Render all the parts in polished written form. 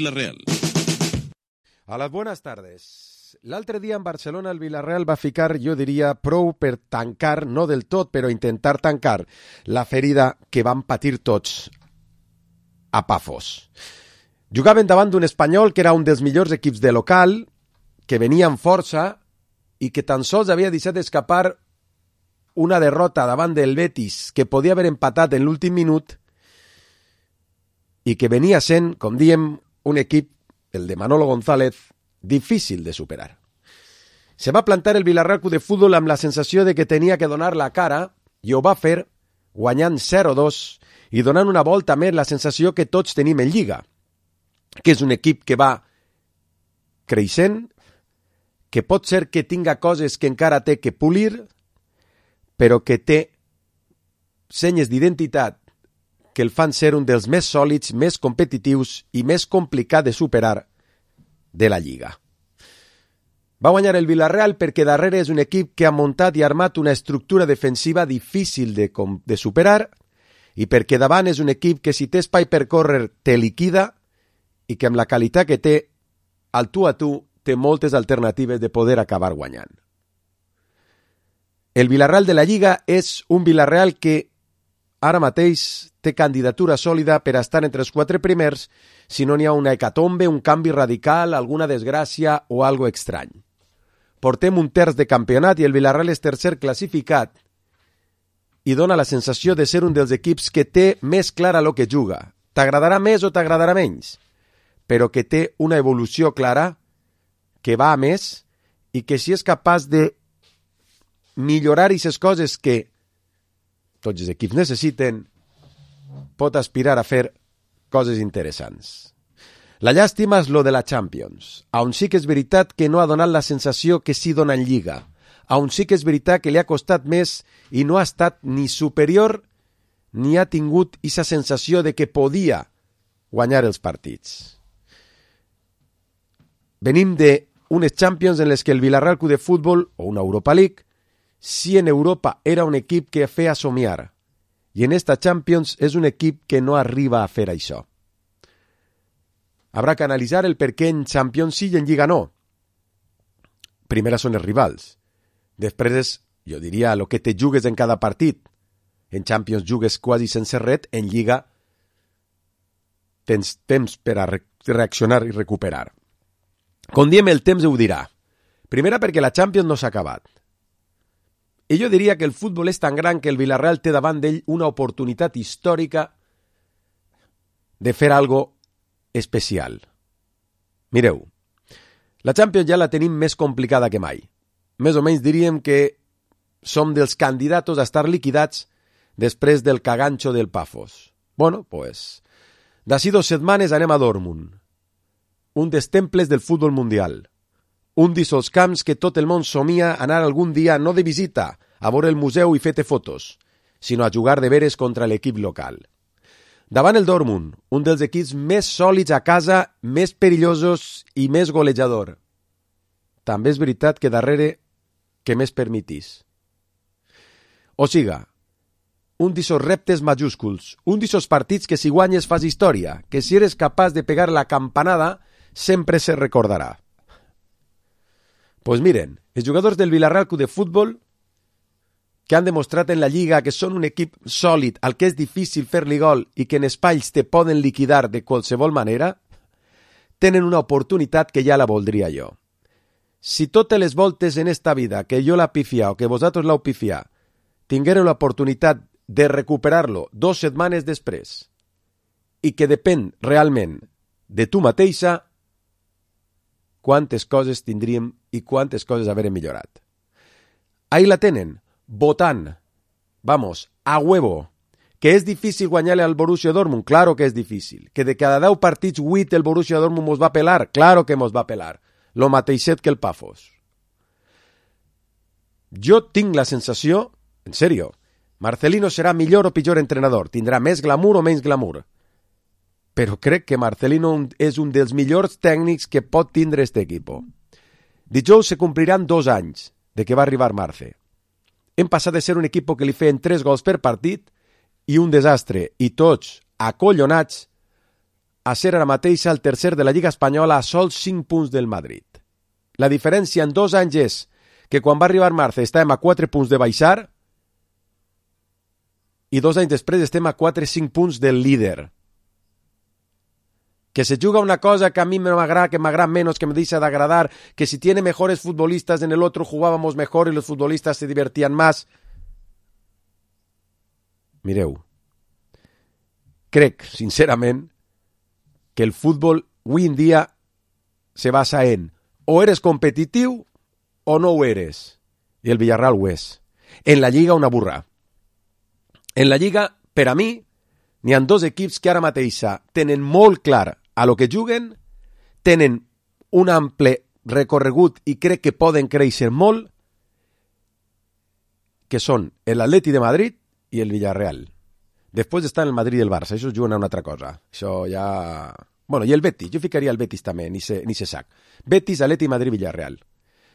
Villarreal. A les buenas tardes. L'altre dia en Barcelona el Villarreal va ficar, jo diria, prou per tancar, no del tot, però intentar tancar la ferida que van patir tots a Pafos. Jugaven davant d'un Espanyol que era un dels millors equips de local, que venia amb força i que tan sols havia deixat escapar una derrota davant del Betis que podia haver empatat en l'últim minut i que venia sent, com diem, un equip, el de Manolo González, difícil de superar. Se va plantar el Villarreal Club de Futbol amb la sensació de que tenia que donar la cara i ho va fer guanyant 0-2 i donant una volta més la sensació que tots tenim en Lliga, que és un equip que va creixent, que pot ser que tinga coses que encara té que polir, però que té senyes d'identitat que el fan ser un dels més sòlids, més competitius i més complicat de superar de la Lliga. Va guanyar el Villarreal perquè darrere és un equip que ha muntat i armat una estructura defensiva difícil de superar i perquè davant és un equip que si té espai per córrer te liquida i que amb la qualitat que té al tu a tu té moltes alternatives de poder acabar guanyant. El Villarreal de la Lliga és un Villarreal que ara mateix té candidatura sòlida per a estar entre els 4 primers si no n'hi ha una hecatombe, un canvi radical, alguna desgràcia o algo estrany. Portem un terç de campionat i el Villarreal és tercer classificat i dona la sensació de ser un dels equips que té més clara lo que juga. T'agradarà més o t'agradarà menys, però que té una evolució clara, que va a més i que si és capaç de millorar aquestes coses que tots els equips necessiten, pot aspirar a fer coses interessants. La llàstima és lo de la Champions, on sí que és veritat que no ha donat la sensació que sí dona en Lliga, on sí que és veritat que li ha costat més i no ha estat ni superior ni ha tingut aquesta sensació de que podia guanyar els partits. Venim d'unes Champions en les que el Villarreal Club de Futbol, o una Europa League, si en Europa era un equip que feia somiar, i en esta Champions és un equip que no arriba a fer això. Habrà que analitzar el per què en Champions sí i en Lliga no. Primera són els rivals. Després és, jo diria, el que te jugues en cada partit. En Champions jugues quasi sense res, en Lliga tens temps per a reaccionar i recuperar. Com diem, el temps ho dirà. Primera perquè la Champions no s'ha acabat. I jo diria que el futbol és tan gran que el Villarreal té davant d'ell una oportunitat històrica de fer algo especial. Mireu, la Champions ja la tenim més complicada que mai. Més o menys diríem que som dels candidats a estar liquidats després del cagancho del Pafos. Bueno, pues, d'ací 2 setmanes anem a Dortmund, un dels temples del futbol mundial. Un d'aquests camps que tot el món somia anar algun dia no de visita, a veure el museu i fer-te fotos, sinó a jugar de veres contra l'equip local. Davant el Dortmund, un dels equips més sòlids a casa, més perillosos i més golejador. També és veritat que darrere que més permitís. O siga, un d'aquests reptes majúsculs, un d'aquests partits que si guanyes fas història, que si eres capaç de pegar la campanada sempre se recordarà. Pues miren, els jugadors del Villarreal Club de Futbol, que han demostrat en la Lliga que són un equip sòlid al que és difícil fer-li gol i que en espais te poden liquidar de qualsevol manera, tenen una oportunitat que ja la voldria jo. Si totes les voltes en esta vida que jo la pifia o que vosaltres l'heu pifia, tinguéreu l'oportunitat de recuperar-lo 2 setmanes després i que depèn realment de tu mateixa, quantes coses tindríem i quantes coses haurem millorat. Ahí la tenen, votant, vamos, a huevo, que és difícil guanyar-li al Borussia Dortmund, claro que és difícil, que de cada 10 partits 8 el Borussia Dortmund mos va pelar, claro que mos va pelar, lo mateixet que el Pafos. Jo tinc la sensació, en serio, Marcelino serà millor o pitjor entrenador, tindrà més glamour o menys glamour, però crec que Marcelino és un dels millors tècnics que pot tindre este equipo. Dijous se compliran 2 anys de que va arribar Marce. Hem passat de ser un equip que li feien 3 gols per partit i un desastre, i tots acollonats, a ser ara mateix el tercer de la Lliga Espanyola a sols 5 punts del Madrid. La diferència en 2 anys és que quan va arribar març estàvem a 4 punts de baixar i 2 anys després estem a 4-5 punts del líder. Que se juga una cosa que a mí me agrada, que me agrada menos, que me deja de agradar, que si tiene mejores futbolistas en el otro jugábamos mejor y los futbolistas se divertían más. Mireu, crec, sincerament, que el futbol avui en dia se basa en o eres competitiu o no ho eres. I el Villarreal ho és. En la Lliga una burra. En la Lliga, per a mi, n'hi ha 2 equips que ara mateixa tenen molt clar a lo que juguen, tenen un ample recorregut i crec que poden créixer molt, que són l'Atleti de Madrid i el Villarreal. Després estan el Madrid i el Barça, això juguen a una altra cosa. Això ja... Bueno, i el Betis, jo ficaria el Betis també, ni se sac. Betis, Atleti, Madrid, Villarreal.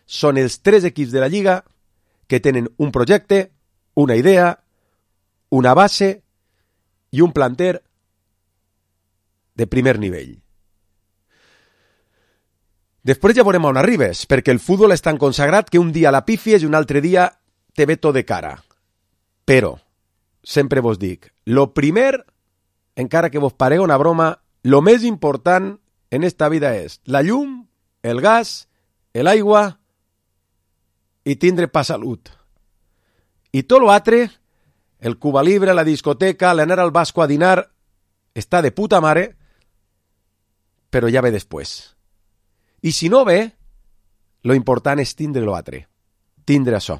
Són els 3 equips de la Lliga que tenen un projecte, una idea, una base i un planter de primer nivell. Després ja veurem on arribes, perquè el futbol és tan consagrat que un dia la pifies i un altre dia te ve tot de cara. Però, sempre vos dic, lo primer, encara que vos parega una broma, lo més important en esta vida és la llum, el gas, l'aigua i tindre pa salut. I tot l'altre, el Cuba Libre, la discoteca, l'anar al Basco a dinar, està de puta mare, però ja ve després. I si no ve, lo important és tindre l'altre. Tindre això.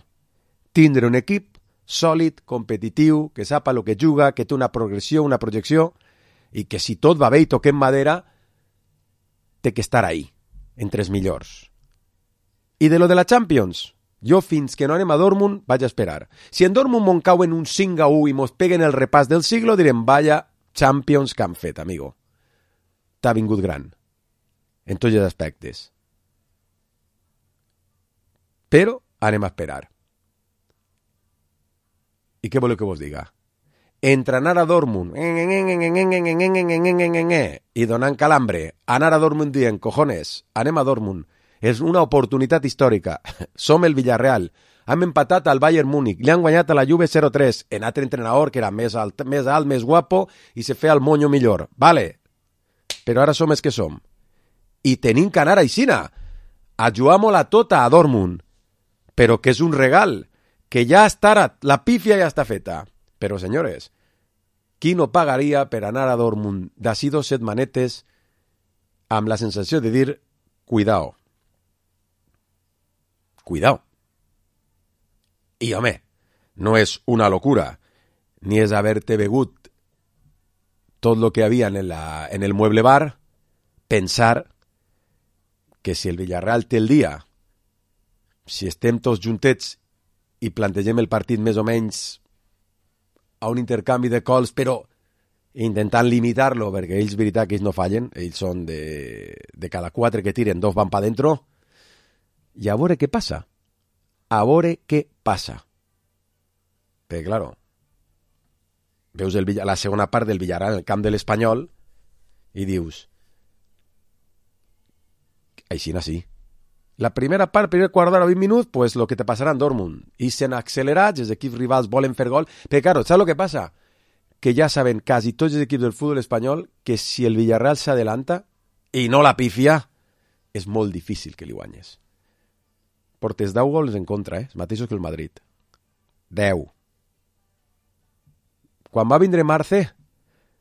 Tindre un equip sòlid, competitiu, que sapa el que juga, que té una progressió, una projecció, i que si tot va bé i toquem madera, té que estar ahí, entre els millors. I de lo de la Champions, jo fins que no anem a Dortmund vaig a esperar. Si en Dortmund mon cauen un 5-1 i mos peguen el repàs del siglo, direm, vaya Champions que han fet, amigo. T'ha vingut gran. En tots els aspectes. Però anem a esperar. I què voleu que vos diga? Entre anar a Dortmund i donant calambre, anar a Dortmund dient, cojones, anem a Dortmund, és una oportunitat històrica. Som el Villarreal. Hem empatat al Bayern Múnich. Li han guanyat a la Juve 0-3. En altre entrenador que era més alt, més guapo i se feia el moño millor. Vale. Però ara som els que som. I tenim que anar aixina. A jugar-la tota a Dortmund. Però que és un regal. Que ja està, la pífia ja està feta. Però, senyores, qui no pagaria per anar a Dortmund d'ací 2 setmanetes amb la sensació de dir, cuidao. Cuidao. I, home, no és una locura, ni és haver-te begut tot lo que havia en el mueble bar, pensar que si el Villarreal té el dia, si estem tots juntets i plantegem el partit més o menys a un intercanvi de cols, però intentant limitar-lo, perquè ells, veritat, que ells no fallen, ells són de cada 4 que tiren, 2 van pa dentro, i a veure què passa. A veure què passa. Perquè, claro, veus la segona part del Villarreal en el camp de l'Espanyol i dius, així sí. La primera part, primer quart d'hora, 20 minuts, pues lo que te passarà en Dortmund. I s'han accelerat, els equips rivals volen fer gol. Però, claro, saps lo que passa? Que ja saben quasi tots els equips del futbol espanyol que si el Villarreal s'adelanta i no la pifia, és molt difícil que li guanyes. Portes 10 gols en contra, els mateixos que el Madrid. 10. Quan va vindre Marce,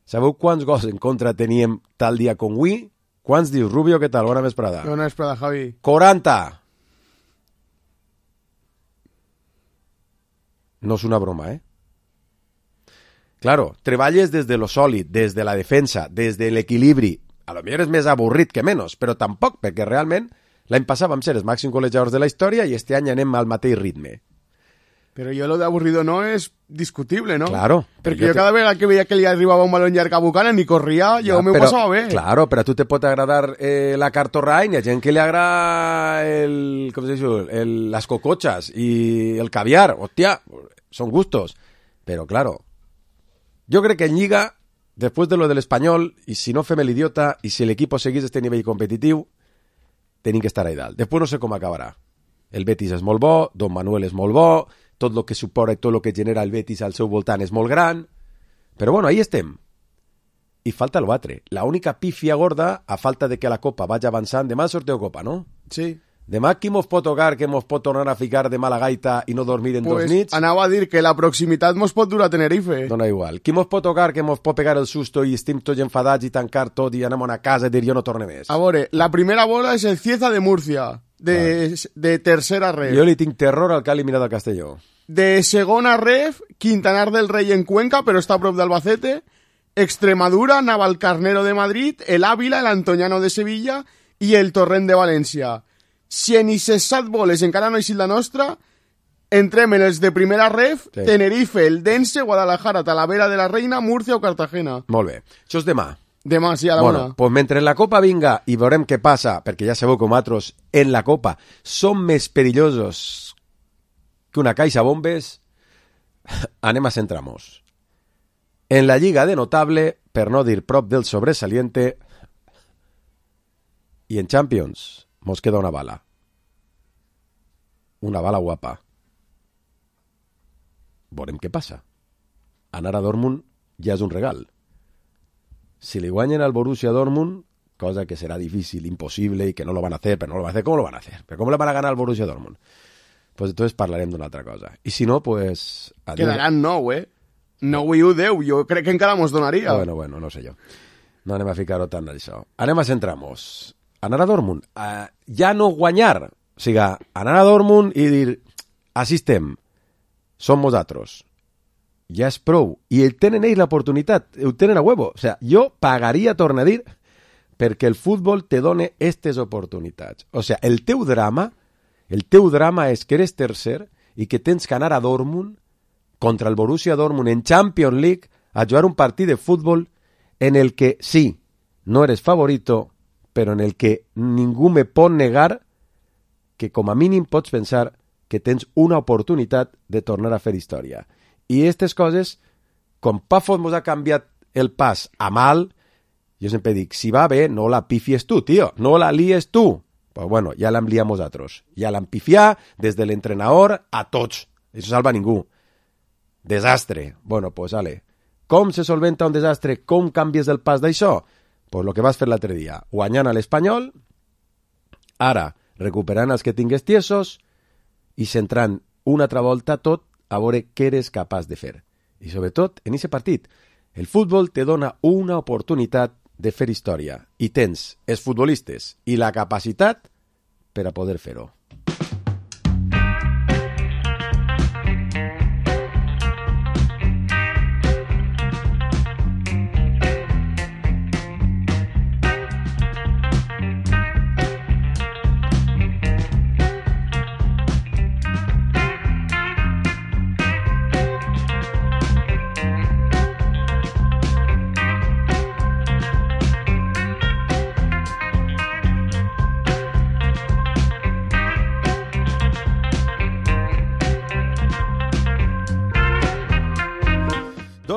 sabeu quants gols en contra teníem tal dia com avui? Quants dius, Rubio, què tal? Bona vesprada. Bona vesprada, Javi. 40. No és una broma, eh? Claro, treballes des de lo sòlid, des de la defensa, des de l'equilibri. A lo millor és més avorrit que menys, però tampoc, perquè realment l'any passat vam ser els màxims golejadors de la història i este any anem al mateix ritme. Pero yo lo de aburrido no es discutible, ¿no? Claro. Porque yo cada vez que veía que le arribaba un balón llarg a Buchanan ni corría, yo me ho passava bé. Claro, però a tu te pot agradar la cartorra i a gent que li agrada com se diu, les cocochas i el caviar. Hòstia, són gustos. Però, claro, jo crec que en Lliga después de lo del Espanyol, i si no fem l'idiota, i si l'equip seguís este nivell competitiu, tenim que estar a dalt. Després no sé com acabarà. El Betis és molt bo, Don Manuel és molt bo, tot el que suporta i tot el que genera el Betis al seu voltant és molt gran, però bueno, ahí estem. I falta el batre. La única pífia gorda, a falta de que la Copa vagi avançant, demà sorteu Copa, no? Sí. Demà qui mos pot tocar, que mos pot tornar a ficar de mala gaita i no dormir en Pues dos nits? anava a dir que la proximitat mos pot dur a Tenerife. Dona igual. Qui mos pot tocar, que mos pot pegar el susto i estem tots enfadats i tancar tot i anem a una casa i dir jo no torne més? A veure, la primera bola és el Cieza de Murcia, de tercera ref. Jo li tinc terror al que ha eliminat el Castelló. De segona ref, Quintanar del Rey en Cuenca, però està a prop d'Albacete. Extremadura, Navalcarnero de Madrid, el Ávila, el Antoniano de Sevilla i el Torrent de València. Si en aquestes 7 boles encara no eixit la nostra, entrem en els de primera ref, sí. Tenerife, el Dense, Guadalajara, Talavera de la Reina, Murcia o Cartagena. Molt bé. Això és demà. Demà, sí, a la bueno, una. Pues mentre la Copa vinga i veurem què passa, perquè ja sabeu com altres en la Copa són més perillosos que una caixa bombes, anem a centrar-nos. En la Lliga de notable, per no dir prop del sobresaliente, i en Champions mos queda una bala. Una bala guapa. Veurem què passa. Anar a Dortmund ja és un regal. Si li guanyen al Borussia Dortmund, cosa que serà difícil, imposible, i que no lo van a hacer, però no lo van a hacer, ¿cómo lo van a hacer? ¿Pero cómo le van a ganar al Borussia Dortmund? Pues entonces parlarem d'una altra cosa. I si no, pues... Quedaran 9, 9 i 1, 10. Jo crec que encara mos donaria. Bueno, no sé jo. No anem a ficar-ho tant d'això. Anem a centrar-nos. Anar a Dortmund. Ja no guanyar. O sigui, anar a Dortmund i dir, així estem. Som nosaltres. Ja és prou. I tenen ells l'oportunitat. Ho tenen a huevo. O sigui, jo pagaria, torna a dir, perquè el futbol te done aquestes oportunitats. O sigui, el teu drama és que eres tercer i que tens que anar a Dortmund contra el Borussia Dortmund en Champions League a jugar un partit de futbol en el que sí, no eres favorito, però en el que ningú me pot negar que com a mínim pots pensar que tens una oportunitat de tornar a fer història. I aquestes coses, com Pafos mos ha canviat el pas a mal, jo sempre dic, si va bé, no la pifies tu, tio, no la lies tu. Pues bueno, ja l'hem liat nosaltres. Ja l'hem pifiat des de l'entrenador a tots. Això salva ningú. Desastre. Bueno, pues vale. Com se solventa un desastre? Com canvies el pas d'això? Pues lo que vas fer l'altre dia. Guanyant a l'Espanyol, ara recuperant els que tingues tiesos i centrant una altra volta tot a veure què eres capaç de fer. I sobretot, en aquest partit, el futbol te dona una oportunitat de fer història i tens els futbolistes i la capacitat per a poder fer-ho.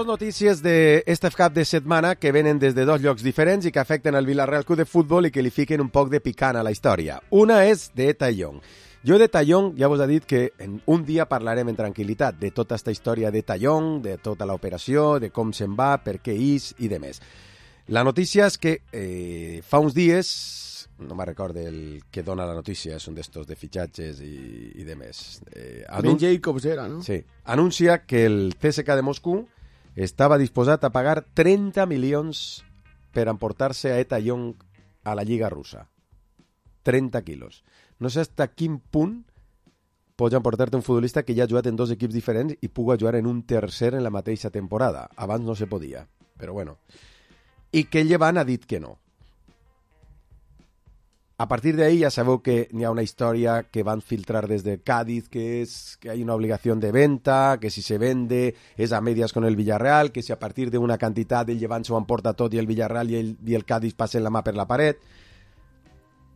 Notícies d'este cap de setmana que venen des de 2 llocs diferents i que afecten el Villarreal Club de Futbol i que li fiquen un poc de picant a la història. Una és de Tallón. Jo de Tallón ja vos he dit que en un dia parlarem en tranquil·litat de tota aquesta història de Tallón, de tota l'operació, de com se'n va, per què és i de més. La notícia és que fa uns dies, no me'n recordo el que dona la notícia, és un d'estos de fitxatges i de més. Ben Jacobs era, no? Sí. Anuncia que el CSKA de Moscou estava disposat a pagar 30 milions per emportar-se a Tallón a la Lliga russa. 30 quilos. No sé fins a quin punt pots emportar-te un futbolista que ja ha jugat en 2 equips diferents i puga jugar en un tercer en la mateixa temporada. Abans no se podia, però bueno. I que el Llevant ha dit que no. A partir de ahí ya sabeu que n'hi ha una història que van filtrar desde Cádiz, que es que hay una obligación de venta, que si se vende es a medias con el Villarreal, que si a partir de una cantidad el Llevant s'ho emporta tot i el Villarreal i el Cádiz passen la mà per la paret.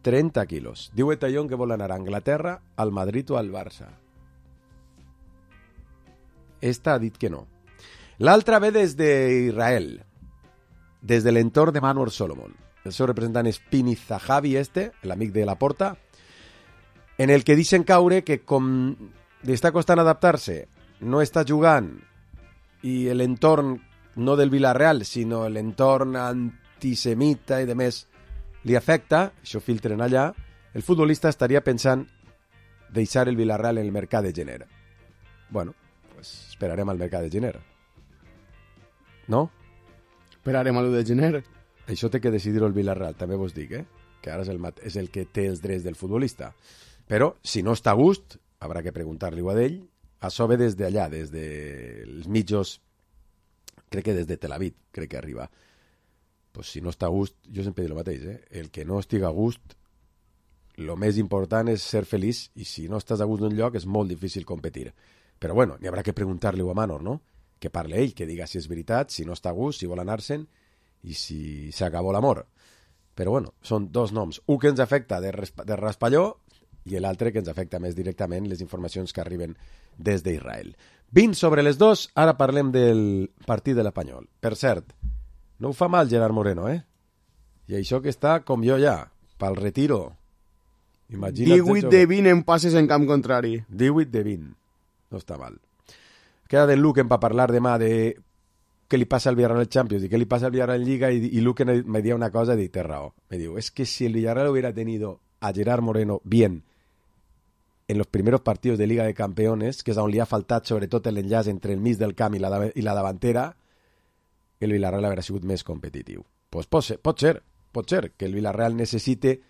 30 quilos. Diu Tallón que vol anar a Anglaterra, al Madrid o al Barça. Esta ha dit que no. L'altra ve des d'Israel. des de l'entorn de Manor Solomon. El seu representant és Pini Zahavi, l'amic de Laporta, en el que deixen caure que com li està costant adaptar-se, no està jugant, i l'entorn no del Villarreal, sinó l'entorn antisemita i de més li afecta, això filtren allà, el futbolista estaria pensant deixar el Villarreal en el mercat de gener. Bueno, pues esperarem al mercat de gener. No? Esperarem a l'1 de gener. Això té que decidir el Villarreal, també vos dic, que ara és el que té els drets del futbolista. Però, si no està a gust, haurà que preguntar-li a ell. Això ve des d'allà, des dels mitjos, crec que des de Tel Aviv, crec que arriba. Pues si no està a gust, jo sempre dic el mateix, el que no estigui a gust, el més important és ser feliç, i si no estàs a gust d'un lloc és molt difícil competir. Però bueno, n'hi haurà que preguntar-li a Manor, no? Que parli ell, que diga si és veritat, si no està a gust, si vol anar-se'n, i si s'acabó l'amor. Però bueno, són dos noms. Un que ens afecta de raspalló i l'altre que ens afecta més directament les informacions que arriben des d'Israel. 20 sobre les 2, ara parlem del partit de l'Espanyol. Per cert, no ho fa mal Gerard Moreno, I això que està com jo ja, pel retiro. Imagina't 18 de 20 en passes en camp contrari. 18 de 20. No està mal. Queda d'en Luquen per parlar demà de què li passa al Villarreal Champions y qué le pasa al Villarreal en Liga, y Luque me dio una cosa de terrao. Me digo, es que si el Villarreal hubiera tenido a Gerard Moreno bien en los primeros partidos de Liga de Campeones, que és on li ha faltat sobretot l'enllaç entre el mig del camp i la davantera, el Villarreal hauria sigut més competitiu. Pues pot ser que el Villarreal necessite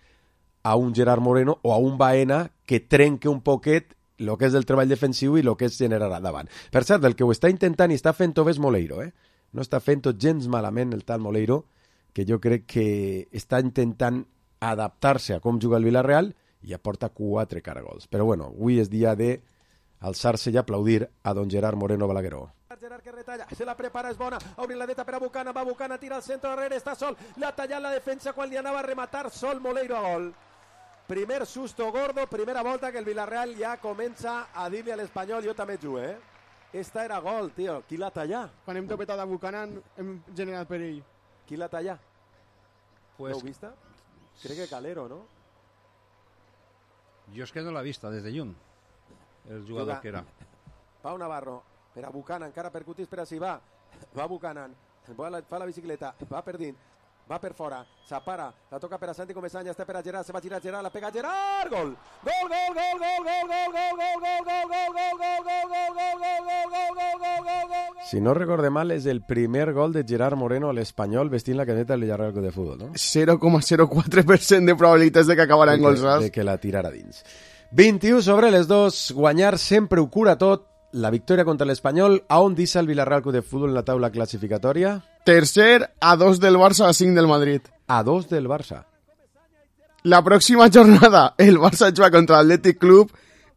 a un Gerard Moreno o a un Baena que trenque un poquet el que és del treball defensiu i el que és generar davant. Per cert, el que ho està intentant i està fent-ho és Moleiro, No està fent-ho gens malament el tal Moleiro, que jo crec que està intentant adaptar-se a com juga el Villarreal i aporta 4 caragols. Però bueno, avui és dia de alçar-se i aplaudir a don Gerard Moreno Balagueró. Gerard que retalla, se la prepara, és bona, obri la dreta per a Bucana, va Bucana, tira al centre darrere, està sol, l'ha tallat la defensa quan li anava a rematar sol Moleiro a gol. Primer susto gordo, primera volta que el Villarreal ja comença a dir-li a l'Espanyol, jo també jugo, Esta era gol, tio, qui l'ha tallat? Quan hem topetat a Buchanan hem generat perill. Qui l'ha tallat? Pues, ¿L'heu vista? Crec que Calero, no? Jo és que no l'ha vista des de lluny, el jugador que era. Pau Navarro, per a Buchanan, encara percutís per a si va Buchanan, fa la bicicleta, va per dins, va per fora, s'apara, la toca per a Santi Comesaña, està per a Gerard, se va girar Gerard, la pega Gerard, gol! Gol, gol, gol, gol, gol, gol, gol, gol, gol, gol, gol, gol, Si no recorde mal, és el primer gol de Gerard Moreno a l'Espanyol vestint la camiseta del Villarreal Club de Futbol, no? 0,04% de probabilitats de que acabarà en golsas. De que la tirara dins. 21 sobre les 2, guanyar sempre ho cura tot. La victòria contra l'Espanyol, a on deixa el Villarreal Club de Futbol en la taula classificatòria? Tercer, a 2 del Barça, a 5 del Madrid. A 2 del Barça. La pròxima jornada, el Barça juga contra l'Atlètic Club.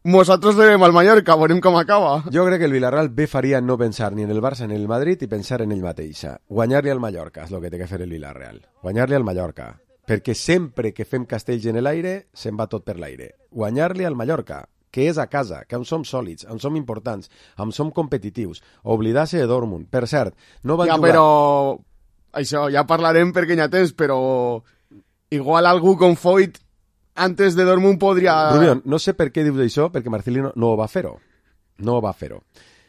Nosaltres rebem al Mallorca, veurem com acaba. Jo crec que el Villarreal bé faria no pensar ni en el Barça ni en el Madrid i pensar en ell mateix. Guanyar-li al Mallorca és el que té que fer el Villarreal. Guanyar-li al Mallorca. Perquè sempre que fem castells en l'aire, se'n va tot per l'aire. Guanyar-li al Mallorca, que és a casa, que on som sòlids, on som importants, on som competitius. Oblidar-se de Dortmund. Per cert, no van ja, jugar... però... Això, ja parlarem perquè ja tens, però... Igual algú com Foyt antes de Dortmund podria... Rubión, no sé per què dius això, perquè Marcelino no va fer-ho. No va fer-ho.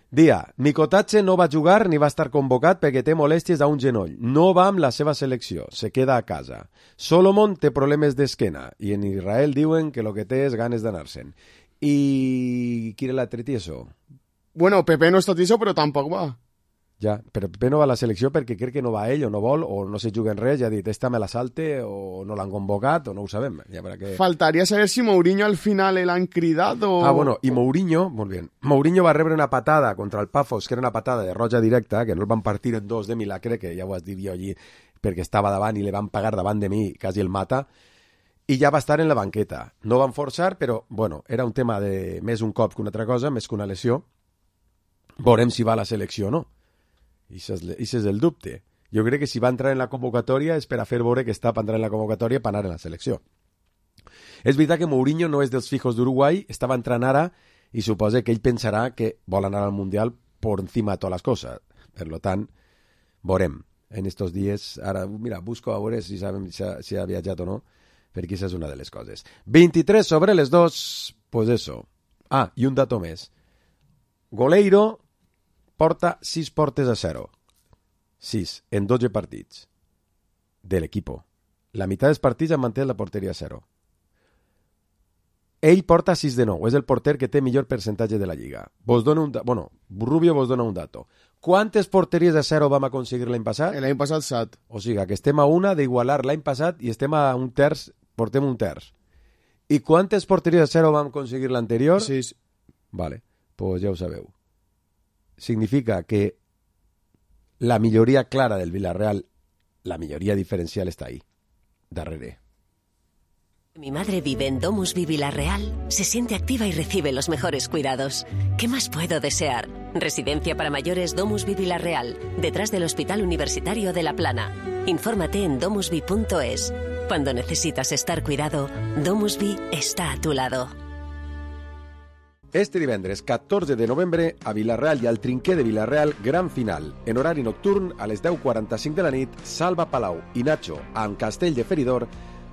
Dia, Mikotatxe no va jugar ni va estar convocat perquè té molèsties a un genoll. No va amb la seva selecció, se queda a casa. Solomon té problemes d'esquena i en Israel diuen que el que té és ganes d'anar-se'n. I qui era l'altre tieso? Bueno, Pepe no està tieso, però tampoc va. Ja, però Pepe no va a la selecció perquè crec que no va ell o no vol o no se juga en res, ja ha dit, esta me la salte o no l'han convocat o no ho sabem. Ja que... Faltaria saber si Mourinho al final l'han cridat o... Ah, bueno, i Mourinho, molt bé, Mourinho va rebre una patada contra el Pafos, que era una patada de roja directa, que no el van partir en dos de milagre, que ja ho has dit jo allí, perquè estava davant i le van pagar davant de mi, quasi el mata, i ja va estar en la banqueta. No van forçar, però, bueno, era un tema de més un cop que una altra cosa, més que una lesió. Veurem si va a la selecció o no. I és el dubte. Jo crec que si va entrar en la convocatòria és per a fer veure que està per entrar en la convocatòria per anar en la selecció. És veritat que Mourinho no és dels fijos d'Uruguai, estava entrant ara i suposa que ell pensarà que vol anar al Mundial por encima de totes les coses. Per tant, veurem. en estos dies. Ara, mira, busco a veure si ha viatjat o no, perquè aquesta és una de les coses. 23 sobre les 2, pues eso. Ah, i un dato més. Goleiro porta 6 portes a 0. 6 en 12 partits de l'equipo. La meitat dels partits han manté la porteria a 0. Ell porta 6 de 9. És el porter que té millor percentatge de la Lliga. Rubio vos dona un dato. Quantes porteries a 0 vam aconseguir l'any passat? L'any passat 7. O sigui, que estem a una d'igualar l'any passat i estem a un terç, portem un terç. I quantes porteries a 0 vam aconseguir l'anterior? 6. Vale, pues ja ho sabeu. Significa que la milloria clara del Villarreal, la milloria diferencial está ahí, darrere. Mi madre vive en Domusvi Villarreal, se siente activa y recibe los mejores cuidados. ¿Qué más puedo desear? Residencia para mayores Domusvi Villarreal, detrás del Hospital Universitario de La Plana. Infórmate en domusvi.es. Cuando necesitas estar cuidado, Domusvi está a tu lado. Este divendres 14 de novembre a Villarreal i al Trinquer de Villarreal, gran final. En horari nocturn, a les 10:45 de la nit, Salva Palau i Nacho amb Castell de Feridor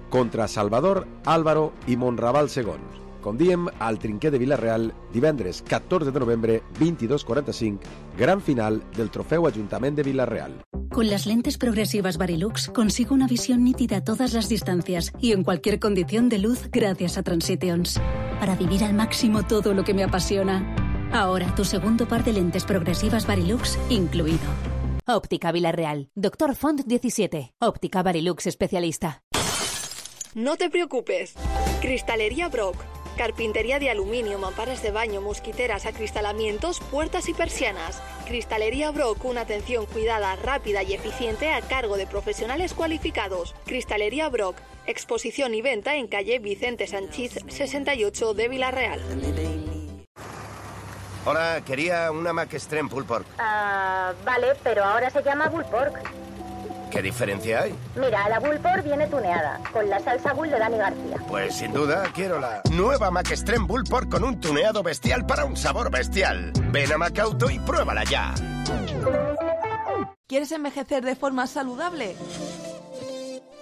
contra Salvador, Álvaro i Monraval II. Com diem, al Trinquer de Villarreal, divendres 14 de novembre, 22:45, gran final del Trofeu Ajuntament de Villarreal. Con las lentes progresivas Varilux consigo una visión nítida a todas las distancias y en cualquier condición de luz gracias a Transitions. Para vivir al máximo todo lo que me apasiona. Ahora tu segundo par de lentes progresivas Varilux incluido. Óptica Villarreal. Dr. Font 17. Óptica Varilux especialista. No te preocupes. Cristalería Brock. Carpintería de aluminio, mamparas de baño, mosquiteras, acristalamientos, puertas y persianas. Cristalería Brock, una atención cuidada, rápida y eficiente a cargo de profesionales cualificados. Cristalería Brock, exposición y venta en calle Vicente Sanchís 68 de Villarreal. Hola, quería una Mac Extreme Pulled Pork. Vale, pero ahora se llama Pulled Pork. ¿Qué diferencia hay? Mira, la Pulled Pork viene tuneada, con la salsa Bull de Dani García. Pues sin duda quiero la nueva Mac Extreme Pulled Pork con un tuneado bestial para un sabor bestial. Ven a Macauto y pruébala ya. ¿Quieres envejecer de forma saludable?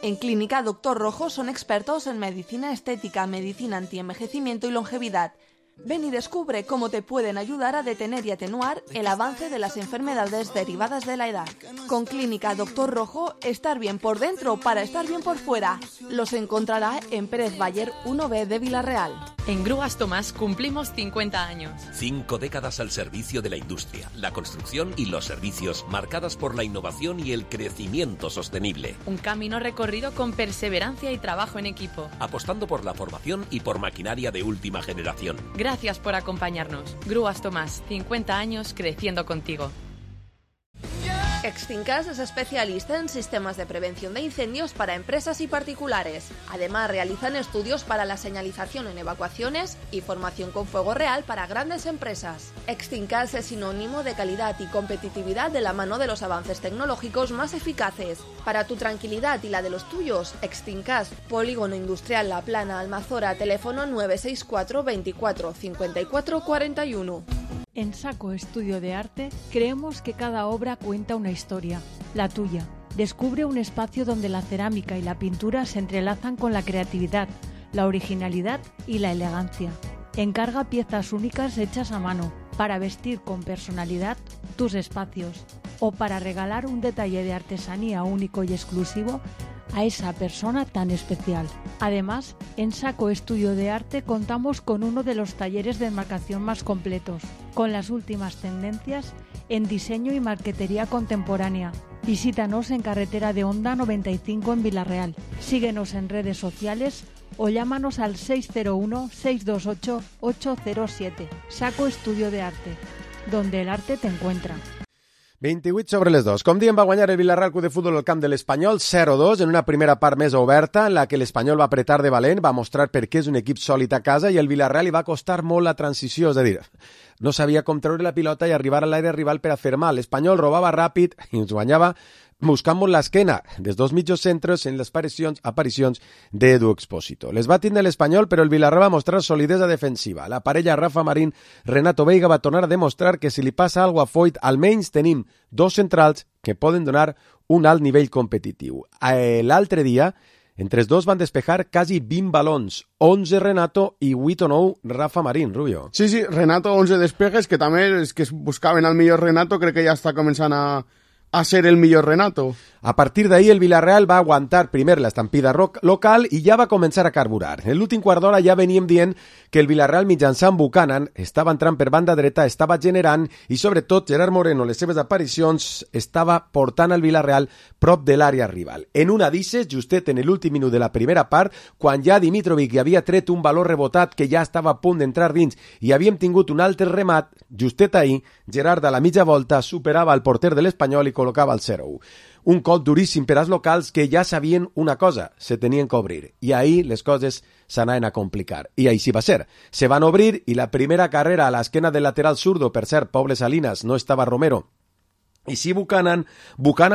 En Clínica Dr. Rojo son expertos en medicina estética, medicina antienvejecimiento y longevidad. Ven y descubre cómo te pueden ayudar a detener y atenuar el avance de las enfermedades derivadas de la edad. Con Clínica Dr. Rojo, estar bien por dentro para estar bien por fuera. Los encontrará en Pérez Bayer 1B de Villarreal. En Grúas Tomás cumplimos 50 años. 5 décadas al servicio de la industria, la construcción y los servicios, marcadas por la innovación y el crecimiento sostenible. Un camino recorrido con perseverancia y trabajo en equipo. Apostando por la formación y por maquinaria de última generación. Gracias por acompañarnos. Grúas Tomás, 50 años creciendo contigo. Extincas es especialista en sistemas de prevención de incendios para empresas y particulares. Además, realizan estudios para la señalización en evacuaciones y formación con fuego real para grandes empresas. Extincas es sinónimo de calidad y competitividad de la mano de los avances tecnológicos más eficaces. Para tu tranquilidad y la de los tuyos, Extincas, Polígono Industrial La Plana, Almazora, teléfono 964 24 54 41. En Saco Estudio de Arte creemos que cada obra cuenta una historia, la tuya. Descubre un espacio donde la cerámica y la pintura se entrelazan con la creatividad, la originalidad y la elegancia. Encarga piezas únicas hechas a mano para vestir con personalidad tus espacios o para regalar un detalle de artesanía único y exclusivo a esa persona tan especial. Además, en Saco Estudio de Arte contamos con uno de los talleres de enmarcación más completos, con las últimas tendencias en diseño y marquetería contemporánea. Visítanos en Carretera de Honda 95 en Villarreal. Síguenos en redes sociales o llámanos al 601-628-807. Saco Estudio de Arte, donde el arte te encuentra. 28 sobre les 2. Com diem, va guanyar el Villarreal Club de Futbol al camp de l'Espanyol 0-2 en una primera part més oberta en la que l'Espanyol va apretar de valent, va mostrar per què és un equip sòlid a casa i el Villarreal li va costar molt la transició, és a dir, no sabia com treure la pilota i arribar a l'aire rival per a fer mal. L'Espanyol robava ràpid i ens guanyava buscamos l'esquena dels dos mitjos centres en les aparicions d'Edu Expósito. Les va tindre l'Espanyol, però el Villarreal va mostrar solidesa defensiva. La parella Rafa Marín-Renato Veiga va tornar a demostrar que si li passa alguna cosa a Foyt, almenys tenim dos centrals que poden donar un alt nivell competitiu. L'altre dia, entre els dos van despejar quasi 20 balons, 11 Renato i 8 o 9 Rafa Marín, Rubio. Sí, Renato 11 despejes, que també és que buscaven el millor Renato, crec que ja està començant a ser el millor Renato. A partir d'ahí el Villarreal va aguantar primer l'estampida local i ja va començar a carburar. En l'últim quart d'hora ja veníem dient que el Villarreal mitjançant Buchanan estava entrant per banda dreta, estava generant i sobretot Gerard Moreno, les seves aparicions, estava portant el Villarreal prop de l'àrea rival. En una d'ixes, justet en l'últim minut de la primera part, quan ja Dimitrovic havia tret un valor rebotat que ja estava a punt d'entrar dins i havíem tingut un altre remat, justet ahir, Gerard a la mitja volta superava el porter de l'Espanyol i col·locava el 0-1. Un cop duríssim per als locals que ja sabien una cosa, se tenien que obrir. I ahir les coses s'anaven a complicar. I així va ser. Se van obrir i la primera carrera a l'esquena del lateral zurdo, per cert, Poble Salinas, no estava Romero. I sí, Buchanan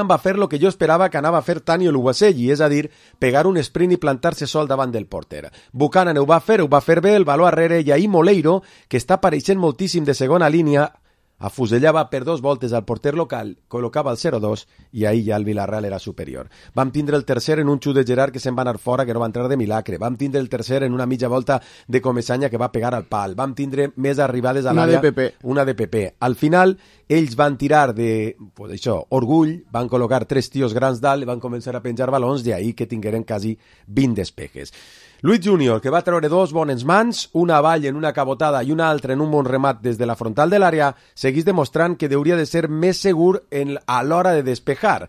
va fer lo que jo esperava que anava a fer Tani Oluwaseyi, és a dir, pegar un sprint i plantar-se sol davant del porter. Buchanan ho va fer bé, el valor arrere, i ahir Moleiro, que està apareixent moltíssim de segona línia, afusellava per 2 voltes al porter local, col·locava el 0-2 i ahir ja el Villarreal era superior. Vam tindre el tercer en un xut de Gerard que se'n va anar fora, que no va entrar de milagre. Vam tindre el tercer en una mitja volta de Comesaña que va pegar al pal. Vam tindre més arribades a l'àrea. Una de PP. Al final, ells van tirar de, pues això, orgull, van col·locar 3 tios grans dalt i van començar a penjar balons, d'ahir que tingueren quasi 20 despejes. Luis Junior, que va treure 2 bones mans, una avall en una cabotada i una altra en un bon remat des de la frontal de l'àrea, seguís demostrant que hauria de ser més segur a l'hora de despejar.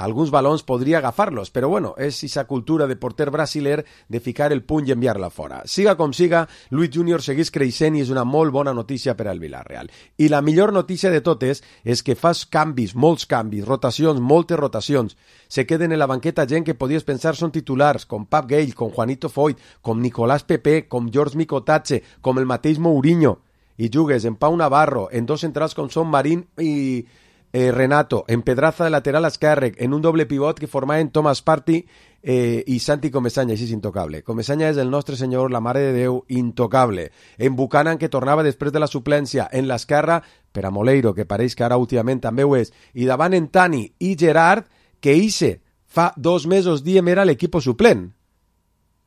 Alguns balons podria agafar-los, però bueno, és esa cultura de porter brasiler de ficar el puny i enviar-la fora. Siga com siga, Luis Junior seguís creixent i és una molt bona notícia per al Villarreal. I la millor notícia de totes és que fas canvis, molts canvis, rotacions, moltes rotacions. Se queden en la banqueta gent que podies pensar són titulars, com Pap Gale, com Juanito Foyt, com Nicolás Pepe, com George Micotatze, com el mateix Mourinho. I jugues en Pau Navarro, en 2 centrals com són Marín i Renato, en Pedraza de lateral esquerre, en un doble pivot que formaven Thomas Partey i Santi Comesaña, així és intocable. Comesaña és el nostre senyor, la mare de Déu, intocable. En Buchanan, que tornava després de la suplència, en l'esquerra, per a Moleiro, que pareix que ara últimament també ho és, i davant en Tani i Gerard, que ixe fa 2 mesos diem era l'equip suplent.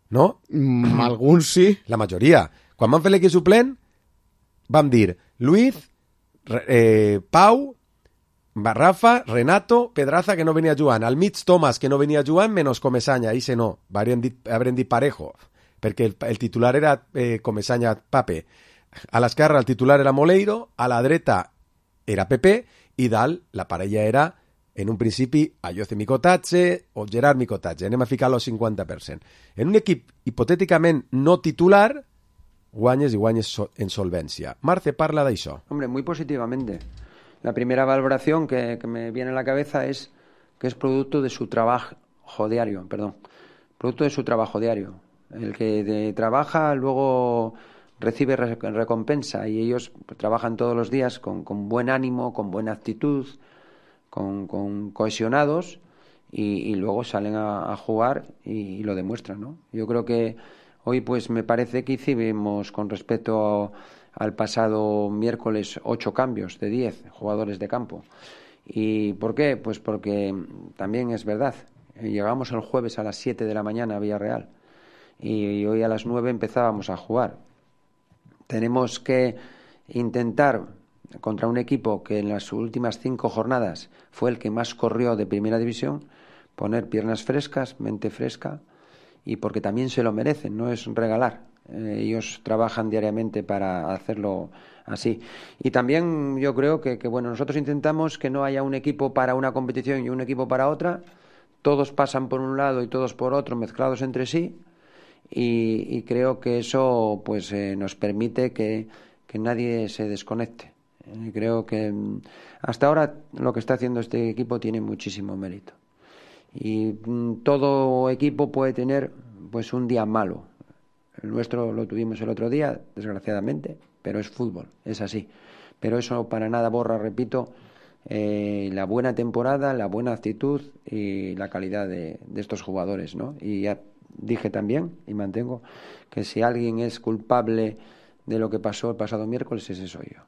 No? Alguns sí. La majoria. Quan van fer l'equip suplent, vam dir Luis, Pau, Rafa, Renato, Pedraza, que no venia jugant. Al mig Thomas, que no venia jugant, menys Comesaña. Ixe no, haurem dit Parejo, perquè el titular era Comesaña Pape. A l'esquerra el titular era Moleiro, a la dreta era Pepe, i dalt la parella era, en un principi, Ayoce Micotatze o Gerard Micotatze. Anem a ficar-lo al 50%. En un equip hipotèticament no titular, guanyes i guanyes en solvència. Marce parla d'això. Hombre, muy positivamente. La primera valoración que me viene a la cabeza es que es producto de su trabajo diario, producto de su trabajo diario. El que trabaja luego recibe recompensa y ellos pues, trabajan todos los días con buen ánimo, con buena actitud, con cohesionados y luego salen a jugar y lo demuestran, ¿no? Yo creo que hoy pues me parece que hicimos con respecto al pasado miércoles 8 cambios de 10 jugadores de campo. ¿Y por qué? Pues porque también es verdad. Llegamos el jueves a las 7 de la mañana a Villarreal y hoy a las 9 empezábamos a jugar. Tenemos que intentar contra un equipo que en las últimas 5 jornadas fue el que más corrió de primera división, poner piernas frescas, mente fresca y porque también se lo merecen, no es regalar. Ellos trabajan diariamente para hacerlo así. Y también yo creo que bueno, nosotros intentamos que no haya un equipo para una competición y un equipo para otra. Todos pasan por un lado y todos por otro, mezclados entre sí. Y creo que eso pues nos permite que nadie se desconecte. Creo que hasta ahora lo que está haciendo este equipo tiene muchísimo mérito. Y todo equipo puede tener pues un día malo. El nuestro lo tuvimos el otro día, desgraciadamente, pero es fútbol, es así. Pero eso para nada borra, repito, la buena temporada, la buena actitud y la calidad de estos jugadores, ¿no? Y ya dije también, y mantengo, que si alguien es culpable de lo que pasó el pasado miércoles, ese soy yo.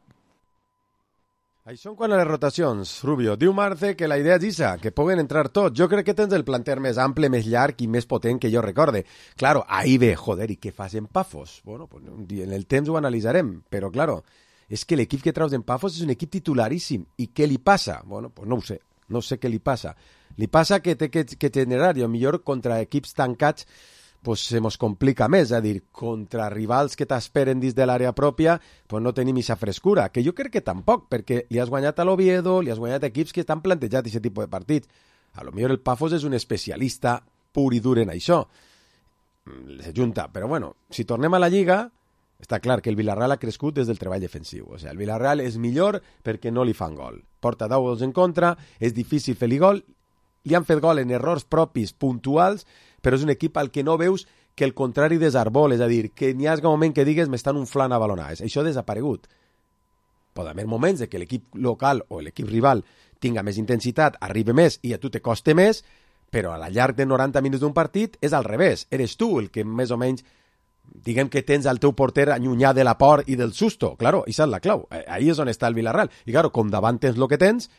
Això en quant a les rotacions, Rubio, diu Marce que la idea és isa, que puguen entrar tots. Jo crec que tens el planter més ample, més llarg i més potent que jo recorde. Claro, ahí ve, joder, i què fas en Pafos? Bueno, pues en el temps ho analitzarem, però claro, és que l'equip que traus en Pafos és un equip titularíssim. I què li passa? Bueno, pues no ho sé, no sé què li passa. Li passa que té que generar, i millor contra equips tancats pues se mos complica més, és a dir, contra rivals que t'esperen dins de l'àrea pròpia, pues no tenim aquesta frescura, que jo crec que tampoc, perquè li has guanyat a l'Oviedo, li has guanyat a equips que estan plantejats aquest tipus de partits. A lo millor el Pafos és un especialista pur i dur en això. Se junta, però bueno, si tornem a la Lliga, està clar que el Villarreal ha crescut des del treball defensiu. O sigui, el Villarreal és millor perquè no li fan gol. Porta 10 gols en contra, és difícil fer-li gol, li han fet gol en errors propis puntuals, però és un equip al que no veus que el contrari desarbol, és a dir, que n'hi ha un moment que digues m'estan unflant a balonades. Això ha desaparegut. Pot haver moments de que l'equip local o l'equip rival tinga més intensitat, arribi més i a tu te coste més, però a la llarg de 90 minuts d'un partit és al revés. Eres tu el que més o menys, diguem que tens el teu porter allunyat de la por i del susto. Claro, això és la clau. Ahí és on està el Villarreal. I claro, com davant tens el que tens,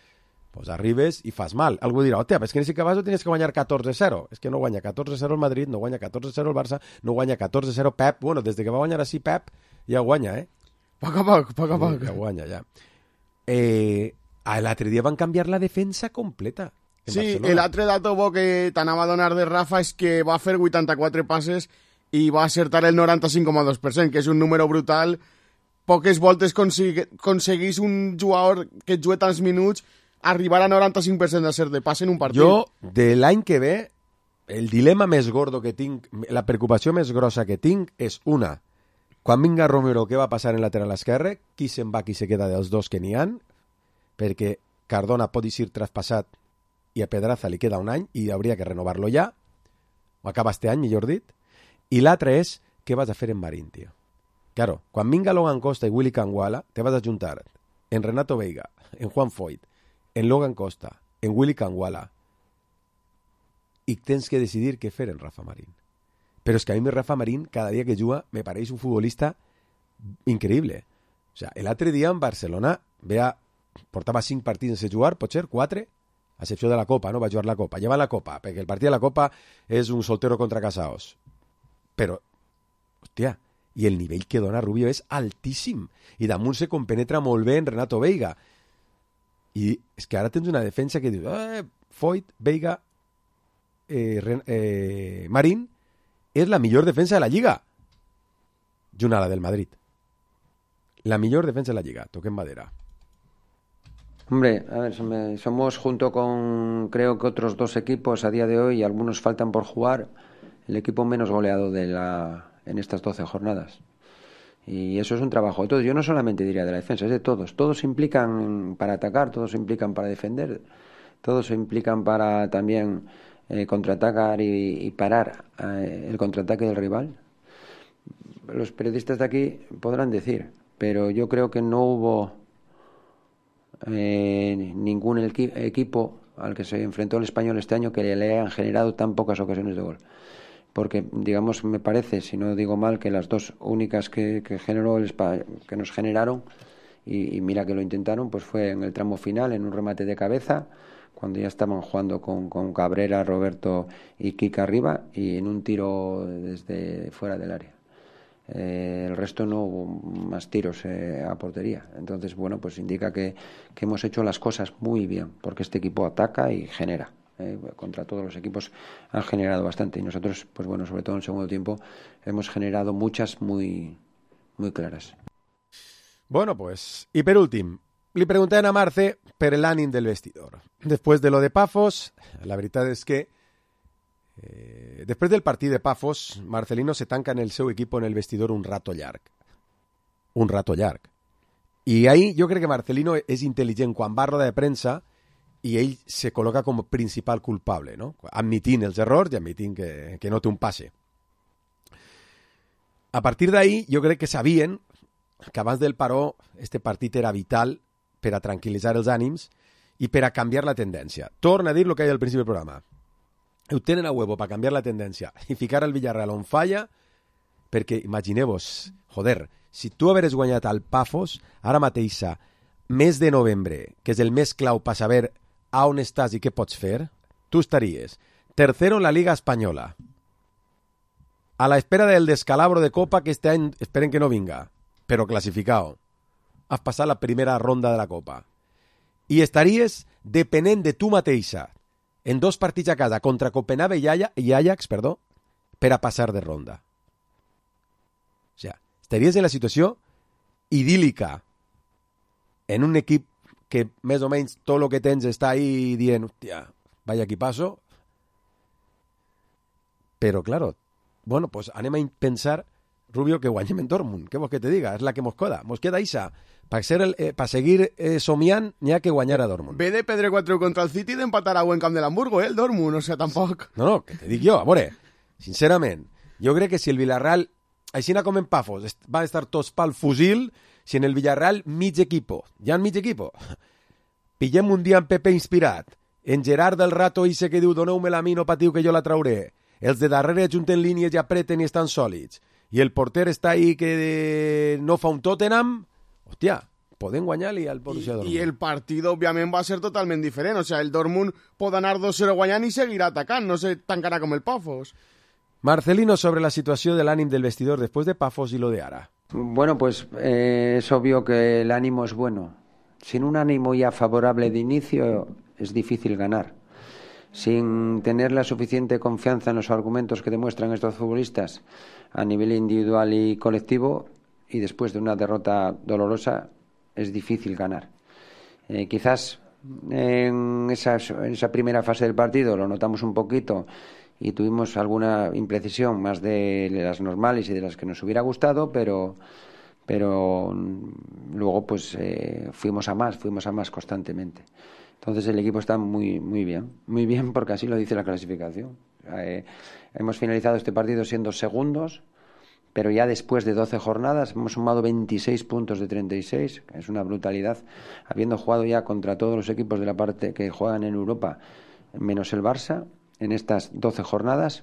pues arribes i fas mal. Algú dirà, hòstia, és que en aquest cas tenies que guanyar 14-0. És que no guanya 14-0 el Madrid, no guanya 14-0 el Barça, no guanya 14-0 Pep. Bueno, des de que va guanyar així Pep, ja guanya, eh? Poc a poc. Ja guanya, ja. L'altre dia van canviar la defensa completa. Sí, l'altre dato bo que t'anava a donar de Rafa és que va fer 84 passes i va acertar el 95,2%, que és un número brutal. Poques voltes aconseguís un jugador que et juga tants minuts arribar a 95% de ser de passe en un partit. Jo, de l'any que ve, el dilema més gordo que tinc, la preocupació més grossa que tinc és una. Quan vinga Romero, què va passar en lateral esquerre? Qui se'n va, qui se queda dels dos que n'hi han? Perquè Cardona pot ser traspassat i a Pedraza li queda un any i hauria que renovar-lo ja. O acaba este any, millor dit. I l'altre és, què vas a fer en Marín, tio? Claro, quan vinga Logan Costa i Willy Canguala, te vas a juntar en Renato Veiga, en Juan Foyt, en Logan Costa, en Willy Canguala, i tens que decidir què fer en Rafa Marín. Però és que a mi Rafa Marín, cada dia que juga, me pareix un futbolista increïble. O sea, l'altre dia en Barcelona portava 5 partits sense jugar, pot ser 4, a excepció de la Copa, no va jugar la Copa. Lleva la Copa, perquè el partit de la Copa és un soltero contra casaos. Però, hòstia, i el nivell que dona Rubio és altíssim. I damunt se compenetra molt bé en Renato Veiga. I és que ara tens una defensa que dius Foyt, Veiga, Marín és la millor defensa de la Lliga junt a la del Madrid. La millor defensa de la Lliga, toquem madera. Hombre, a ver, somos junto con creo que otros 2 equipos a día de hoy, y algunos faltan por jugar, el equipo menos goleado en estas 12 jornadas. Y eso es un trabajo de todos. Yo no solamente diría de la defensa, es de todos. Todos se implican para atacar, todos se implican para defender, todos se implican para también contraatacar y parar el contraataque del rival. Los periodistas de aquí podrán decir, pero yo creo que no hubo ningún equipo al que se enfrentó el Español este año que le hayan generado tan pocas ocasiones de gol. Porque, digamos, me parece, si no digo mal, que las 2 únicas que nos generaron, y mira que lo intentaron, pues fue en el tramo final, en un remate de cabeza, cuando ya estaban jugando con Cabrera, Roberto y Kika arriba, y en un tiro desde fuera del área. El resto no hubo más tiros a portería. Entonces, bueno, pues indica que hemos hecho las cosas muy bien, porque este equipo ataca y genera. Contra todos los equipos han generado bastante, y nosotros, pues bueno, sobre todo en el segundo tiempo hemos generado muchas muy, muy claras. Bueno, pues, y per últim, li preguntem a Marce per l'ànim del vestidor. Després de lo de Pafos, la veritat és que després del partit de Pafos, Marcelino se tanca en el seu equip en el vestidor un rato llarg. Un rato llarg. I ahí jo crec que Marcelino és intel·ligent quan va a roda de premsa i ell se col·loca com a principal culpable, no? Admitint els errors i admitint que no té un passe. A partir d'ahí, jo crec que sabien que abans del paró este partit era vital per a tranquil·litzar els ànims i per a canviar la tendència. Torna a dir el que hi ha al principi del programa. Ho tenen a huevo per canviar la tendència i ficar el Villarreal on falla, perquè imagineu-vos, joder, si tu hagueres guanyat al Pafos, ara mateix, mes de novembre, que és el mes clau per saber a on estàs i què pots fer, tu estaries tercero en la Liga Espanyola, a la espera del descalabro de Copa que este any esperen que no vinga, però classificado. Has passat la primera ronda de la Copa. I estaries depenent de tu mateixa en 2 partits a casa contra Copenhague i Ajax, per a passar de ronda. O sea, estaries en la situació idíl·lica en un equip que més o menys tot el que tens està ahí dient, hòstia, vaya equipazo. Però, claro, bueno, pues anem a pensar, Rubio, que guanyem en Dortmund. Què vols que te diga? És la que mos queda. Mos queda Isa. Per seguir somiant, n'hi ha que guanyar a Dortmund. Ve de pedre 4 contra el City d'empatar a buen camp de l'Hamburgo, el Dortmund, o sea, tampoc. No, que te dic jo, a veure, sincerament, jo crec que si el Villarreal, així com en Pafos, van estar tots pel fusil, si en el Villarreal mig equipo, ja en mig equipo, pillem un dia en Pepe inspirat, en Gerard del Rato ese que diu doneu-me la mi, no patiu que jo la trauré, els de darrere junten línies i apreten i estan sòlids, i el porter està ahí que no fa un Tottenham, hòstia, podem guanyar-li al Borussia Dortmund. I el partit, òbviament, va ser totalment diferent. O sea, el Dortmund pot anar 2-0 guanyant i seguirà atacant, no se tancarà com el Pafos. Marcelino, sobre la situació de l'ànim del vestidor después de Pafos y lo de Ara. Bueno, pues es obvio que el ánimo es bueno. Sin un ánimo ya favorable de inicio es difícil ganar. Sin tener la suficiente confianza en los argumentos que demuestran estos futbolistas a nivel individual y colectivo, y después de una derrota dolorosa, es difícil ganar. Quizás en esa primera fase del partido lo notamos un poquito y tuvimos alguna imprecisión más de las normales y de las que nos hubiera gustado, pero luego pues fuimos a más constantemente. Entonces el equipo está muy bien porque así lo dice la clasificación. Hemos finalizado este partido siendo segundos, pero ya después de 12 jornadas hemos sumado 26 puntos de 36, que es una brutalidad, habiendo jugado ya contra todos los equipos de la parte que juegan en Europa, menos el Barça, en estas 12 jornadas.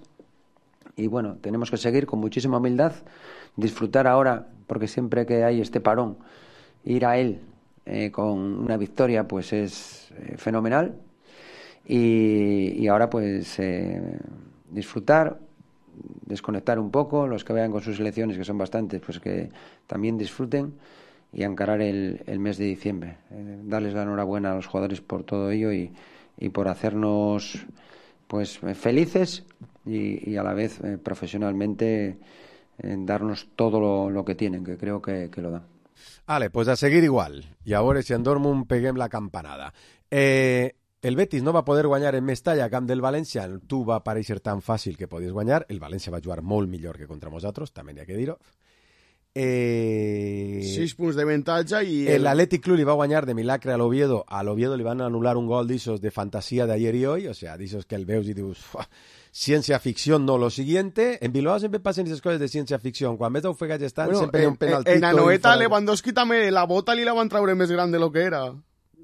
Y bueno, tenemos que seguir con muchísima humildad, disfrutar ahora, porque siempre que hay este parón, ir a él con una victoria pues es fenomenal. Y ahora pues disfrutar, desconectar un poco, los que vayan con sus selecciones, que son bastantes, pues que también disfruten y encarar el mes de diciembre. Darles la enhorabuena a los jugadores por todo ello y por hacernos pues felices y a la vez profesionalmente darnos todo lo que tienen, que creo que lo dan. Vale, pues a seguir igual. I a veure si en Dortmund peguem la campanada. El Betis no va poder guanyar en Mestalla a camp del València. Tu va aparèixer tan fàcil que podies guanyar. El València va jugar molt millor que contra nosaltres, també n'hi ha que dir-ho. 6 punts de avantatge i... L'Atlètic Club li va guanyar de milagre a l'Oviedo. A l'Oviedo li van anul·lar un gol d'ixos de fantasia d'ayer i hoy, o sea, d'ixos que el veus i dius... Ciencia ficción, no. Lo siguiente, en Bilbao siempre pasan esas cosas de ciencia ficción. Quan ves d'ofegats estan, bueno, sempre hi ha un penaltito. En Anoeta, Lewandowski també la bota li la van traure més gran de lo que era.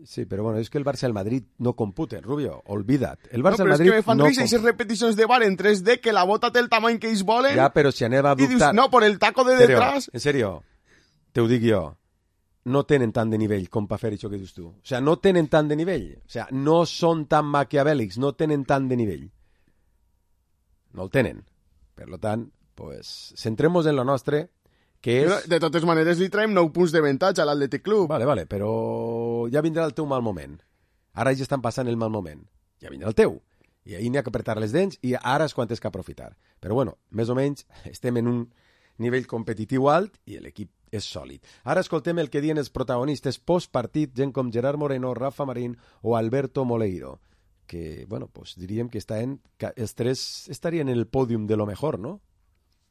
Sí, però bueno, és que el Barça i el Madrid no computen, Rubio, olvida't. El Barça no, el Madrid és que me fan risa aquestes repeticions de VAR en 3D que la bota té el tamany que ells volen. Ja, però si aneva a dubtar... I dius, no, por el taco de detrás... En serio, te ho dic jo. No tenen tant de nivell com per fer això que dius tu. O sea, no tenen tant de nivell. O sea, no són tan maquiavèlics, no tenen tant de nivell. No el tenen. Per tant, pues, centremos en lo nostre, que és... De totes maneres, li traiem 9 punts d'avantatge a l'Atlètic Club. Vale, però ja vindrà el teu mal moment. Ara ja estan passant el mal moment. Ja vindrà el teu. I ahir n'hi ha que apretar les dents i ara és quan tens que aprofitar. Però bueno, més o menys estem en un nivell competitiu alt i l'equip és sòlid. Ara escoltem el que diuen els protagonistes postpartit, gent com Gerard Moreno, Rafa Marín o Alberto Moleiro, que, bueno, pues diríem que els tres estarien en el pòdium de lo mejor, no?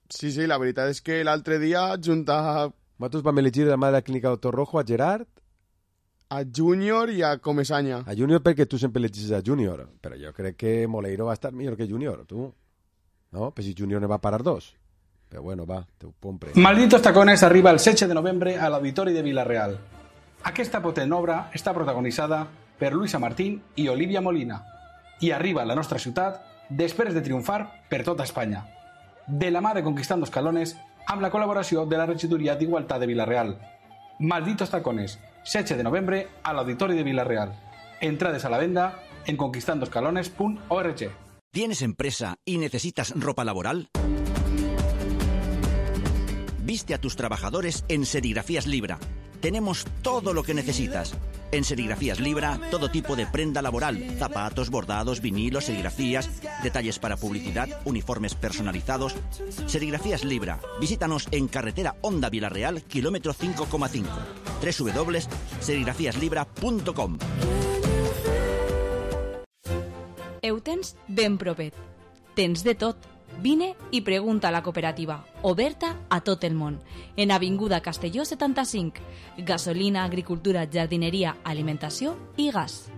Sí, la veritat és que l'altre dia junta... Nosaltres vam elegir de la mà de la clínica Doctor Rojo a Gerard, a Júnior i a Comesaña. A Júnior perquè tu sempre elegis a Júnior, però jo crec que Moleiro va estar millor que Júnior, tu. No? Però si Júnior ne va parar 2. Però bueno, va, te ho compre. Malditos Tacones arriba el 16 de novembre a l'Auditori de Vila-real. Aquesta potent obra està protagonitzada per Luisa Martín i Olivia Molina. I arriba a la nostra ciutat després de triomfar per tota Espanya. De la mà de Conquistando Escalones, amb la col·laboració de la Regidoria d'Igualtat de Vila-real. Malditos tacones, 16 de novembre a l'Auditori de Vila-real. Entrades a la venda en conquistandoscalones.org. ¿Tienes empresa y necesitas ropa laboral? Viste a tus trabajadores en Serigrafías Libra. Tenemos todo lo que necesitas. En Serigrafías Libra, todo tipo de prenda laboral, zapatos, bordados, vinilos, serigrafías, detalles para publicidad, uniformes personalizados. Serigrafías Libra. Visítanos en carretera Honda Vila-real, kilómetro 5,5. www.serigrafiaslibra.com. Ho tens ben propet. Tens de tot. Vine i pregunta a la cooperativa, oberta a tot el món, en Avinguda Castelló 75, gasolina, agricultura, jardinería, alimentació i gas.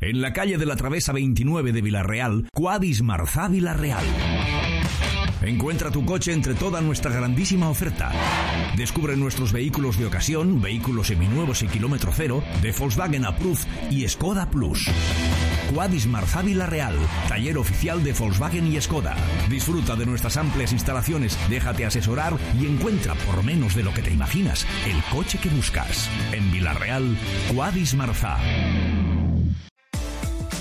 En la calle de la Travesa 29 de Vila-real, Quadis Marzá Vila-real. Encuentra tu coche entre toda nuestra grandísima oferta. Descubre nuestros vehículos de ocasión, vehículos seminuevos y kilómetro cero, de Volkswagen Approved y Skoda Plus. Quadis Marzá Vila-real, taller oficial de Volkswagen y Skoda. Disfruta de nuestras amplias instalaciones, déjate asesorar y encuentra por menos de lo que te imaginas el coche que buscas. En Vila-real, Quadis Marzá.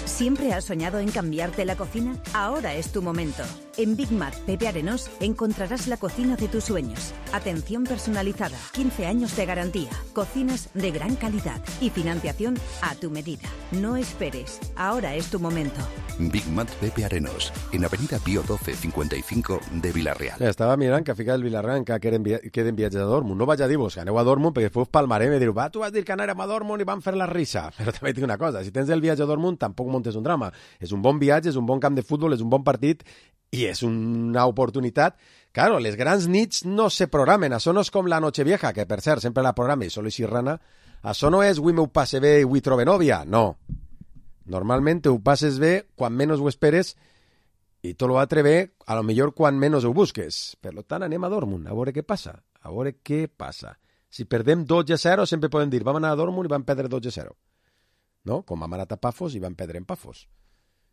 ¿Siempre has soñado en cambiarte la cocina? Ahora es tu momento. En Big Mac Pepe Arenós encontrarás la cocina de tus sueños. Atención personalizada, 15 años de garantía, cocinas de gran calidad y financiación a tu medida. No esperes, ahora es tu momento. Big Mac Pepe Arenós, en Avenida Pío 12, 55 de Vila-real. Estava mirant que ha ficat el Vila-real que queden viatges a Dortmund. No vaig a dir-vos que aneu a Dortmund perquè fos palmaré i me diu, va, tu vas dir que anàrem a Dortmund i vam fer la risa. Però també tinc una cosa, si tens el viatge a Dortmund tampoc montes un drama. És un bon viatge, és un bon camp de futbol, és un bon partit i és una oportunitat. Claro, les grans nits no se programen. Això no és com la Nochevieja, que per cert sempre la programa i solo xirrana. Això no és avui m'ho passe bé i avui trobe nòvia. No. Normalment ho passes bé quan menys ho esperes i tot l'altre bé, a lo millor quan menys ho busques. Per tant, anem a Dortmund, a veure què passa. A veure què passa. Si perdem 2-0, sempre podem dir, vam anar a Dortmund i vam perdre 2-0. No? Com vam anar a Pafos i vam perdre en Pafos.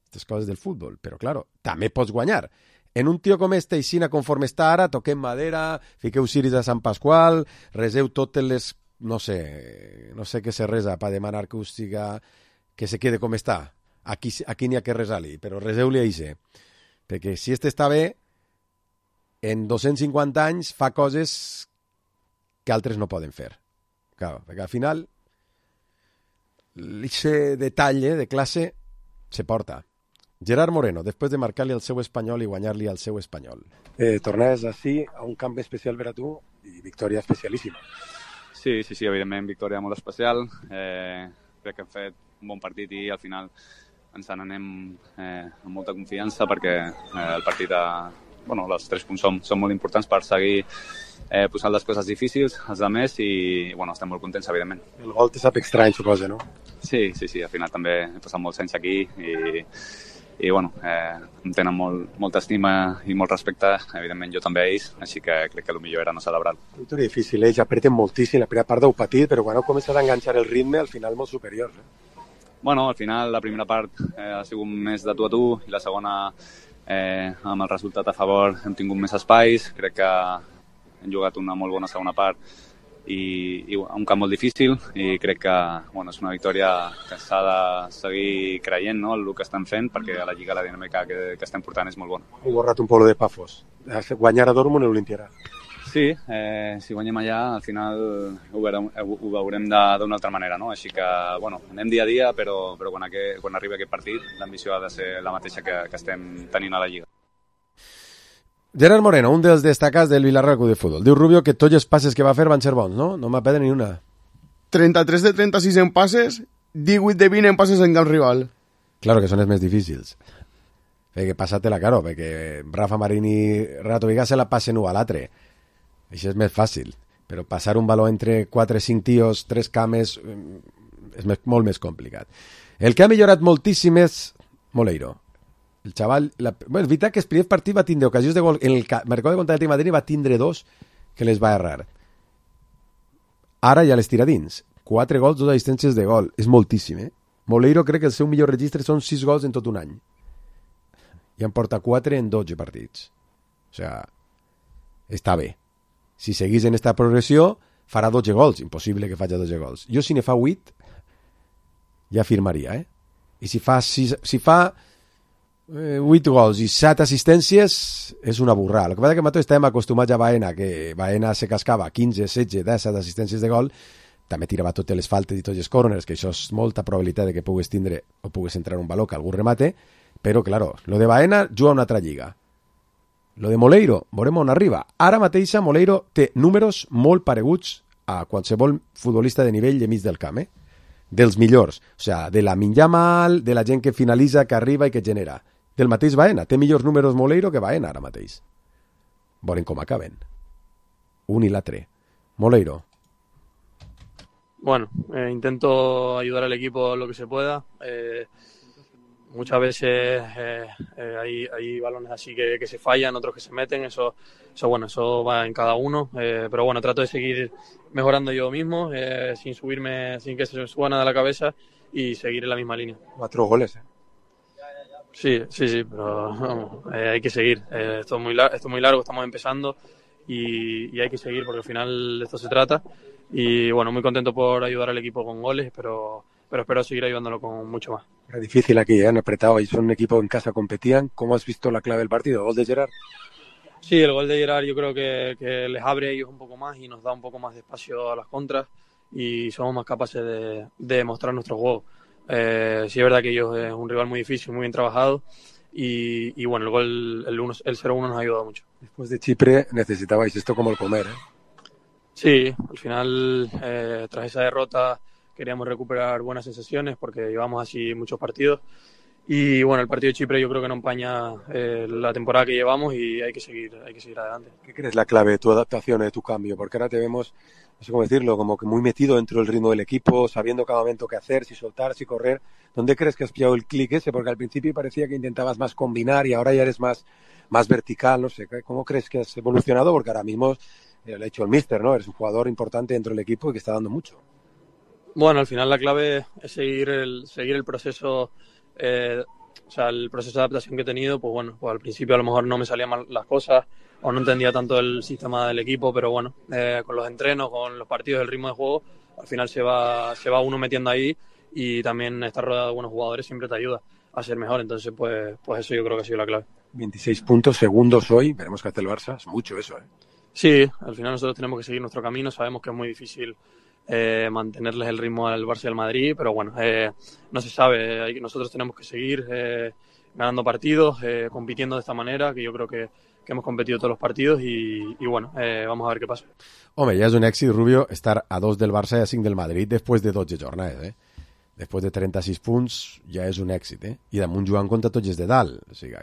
Aquestes coses del futbol. Però, claro, també pots guanyar. En un tio com este, Ixina, conforme està ara, toquem madera, fiqueu ciris a Sant Pasqual, reseu totes les... No sé què se resa per demanar que us siga... que se quede com està. Aquí n'hi ha que resar-li, però reseu-li a Ixe. Perquè si este està bé, en 250 anys fa coses que altres no poden fer. Claro, perquè al final l'Ixe detall de classe se porta. Gerard Moreno, després de marcar-li al seu Espanyol i guanyar-li al seu Espanyol. Tornes així a un camp especial per a tu i victòria especialíssima. Sí, evidentment, victòria molt especial. Crec que hem fet un bon partit i al final ens n'anem amb molta confiança perquè el partit, els 3 punts són molt importants per seguir posant les coses difícils als altres i estem molt contents, evidentment. El gol te sap estrany, suposo, no? Sí, al final també he passat molts anys aquí i em tenen molta estima i molt respecte, evidentment jo també a ells, així que crec que el millor era no celebrar-lo. Victòria difícil, ells apreten moltíssim, la primera part d'ho patit, però quan heu començat a enganxar el ritme, al final molt superior. Al final la primera part ha sigut més de tu a tu i la segona, amb el resultat a favor, hem tingut més espais, crec que hem jugat una molt bona segona part i un camp molt difícil i crec que és una victòria que s'ha de seguir creient, no, el que estem fent, perquè a la Lliga la dinàmica que estem portant és molt bona. Heu borrat un poc de Pafos. Guanyar a Dortmund l'Olimpiarà. Sí, si guanyem allà, al final ho veurem d'una altra manera, no? Així que, anem dia a dia, però quan arribi aquest partit, l'ambició ha de ser la mateixa que estem tenint a la Lliga. Gerard Moreno, un dels destacats del Vila-real Club de Futbol. Diu Rubio que tots els passes que va fer van ser bons, no? No m'ha perdut ni una. 33 de 36 en passes, 18 de 20 en passes en camp rival. Claro que són els més difícils. Perquè passa-te-la, claro, perquè Rafa Marini, Renato Viga se la passen un a l'altre. Això és més fàcil, però passar un baló entre 4 o 5 tios, 3 cames, és molt més complicat. El que ha millorat moltíssim és Moleiro. El xaval... és veritat que el primer partit va tindre ocasions de gol. En el mercat de contra el Madrid va tindre 2 que les va errar. Ara ja les tira dins. 4 gols, 2 assistències de gol. És moltíssim, eh? Moleiro crec que el seu millor registre són 6 gols en tot un any. I en porta 4 en 12 partits. O sigui, està bé. Si seguís en esta progressió, farà 12 gols. Impossible que faci 12 gols. Jo, si ne fa 8, ja firmaria, eh? I si fa 8 gols i 7 assistències, és una burrada. El que passa és que nosaltres estem acostumats a Baena, que Baena se cascava 15, 16, 17 assistències de gol, també tirava totes les faltes i tots els corners, que això és molta probabilitat de que pugues tindre o pugues entrar un valor que algú remate, però, claro, lo de Baena juga una altra lliga. Lo de Moleiro, veurem on arriba. Ara mateixa Moleiro té números molt pareguts a qualsevol futbolista de nivell de mig del camp, eh? Dels millors. O sigui, de la Minyamal, de la gent que finalitza, que arriba i que genera. Del mateix Baena. Té millors números Moleiro que Baena ara mateix. Veurem com acaben. Un y l'altre. Moleiro. Bueno, intento ayudar al equipo lo que se pueda. Muchas veces hay balones así que se fallan, otros que se meten. Eso va en cada uno. Pero bueno, trato de seguir mejorando yo mismo, sin sin que se me suba nada a la cabeza y seguir en la misma línea. 4 goles, Sí, pero vamos, hay que seguir. Esto es muy largo, estamos empezando y hay que seguir porque al final de esto se trata. Y bueno, muy contento por ayudar al equipo con goles, pero espero seguir ayudándolo con mucho más. Era difícil aquí, han apretado y son un equipo en casa, competían. ¿Cómo has visto la clave del partido? ¿Gol de Gerard? Sí, el gol de Gerard yo creo que les abre a ellos un poco más y nos da un poco más de espacio a las contras y somos más capaces de mostrar nuestro juego. Sí es verdad que ellos es un rival muy difícil, muy bien trabajado y bueno, el gol, el 0-1 nos ha ayudado mucho. Después de Chipre necesitabais esto como el comer, ¿eh? Sí, al final tras esa derrota queríamos recuperar buenas sensaciones porque llevamos así muchos partidos y bueno, el partido de Chipre yo creo que no empaña la temporada que llevamos y hay que seguir adelante. ¿Qué crees la clave de tu adaptación, de tu cambio? Porque ahora te vemos, no sé cómo decirlo, como que muy metido dentro del ritmo del equipo, sabiendo cada momento qué hacer, si soltar, si correr. ¿Dónde crees que has pillado el clic ese? Porque al principio parecía que intentabas más combinar y ahora ya eres más vertical, no sé. ¿Cómo crees que has evolucionado? Porque ahora mismo lo ha hecho el míster, ¿no? Eres un jugador importante dentro del equipo y que está dando mucho. Bueno, al final la clave es seguir el proceso, el proceso de adaptación que he tenido. Pues bueno, pues al principio a lo mejor no me salían mal las cosas o no entendía tanto el sistema del equipo, pero bueno, con los entrenos, con los partidos, el ritmo de juego, al final se va uno metiendo ahí y también estar rodeado de buenos jugadores siempre te ayuda a ser mejor. Entonces, pues eso yo creo que ha sido la clave. 26 puntos, segundos hoy, veremos qué hace el Barça, es mucho eso, ¿eh? Sí, al final nosotros tenemos que seguir nuestro camino, sabemos que es muy difícil mantenerles el ritmo al Barça y al Madrid, pero bueno, no se sabe, nosotros tenemos que seguir ganando partidos, compitiendo de esta manera, que yo creo que hemos competido todos los partidos y bueno, vamos a ver qué pasa. Home, ja és un èxit, Rubio, estar a 2 del Barça i a 5 del Madrid després de 12 jornades, eh? Després de 36 punts ja és un èxit, eh? I damunt jugant contra tots els de dalt, o sigui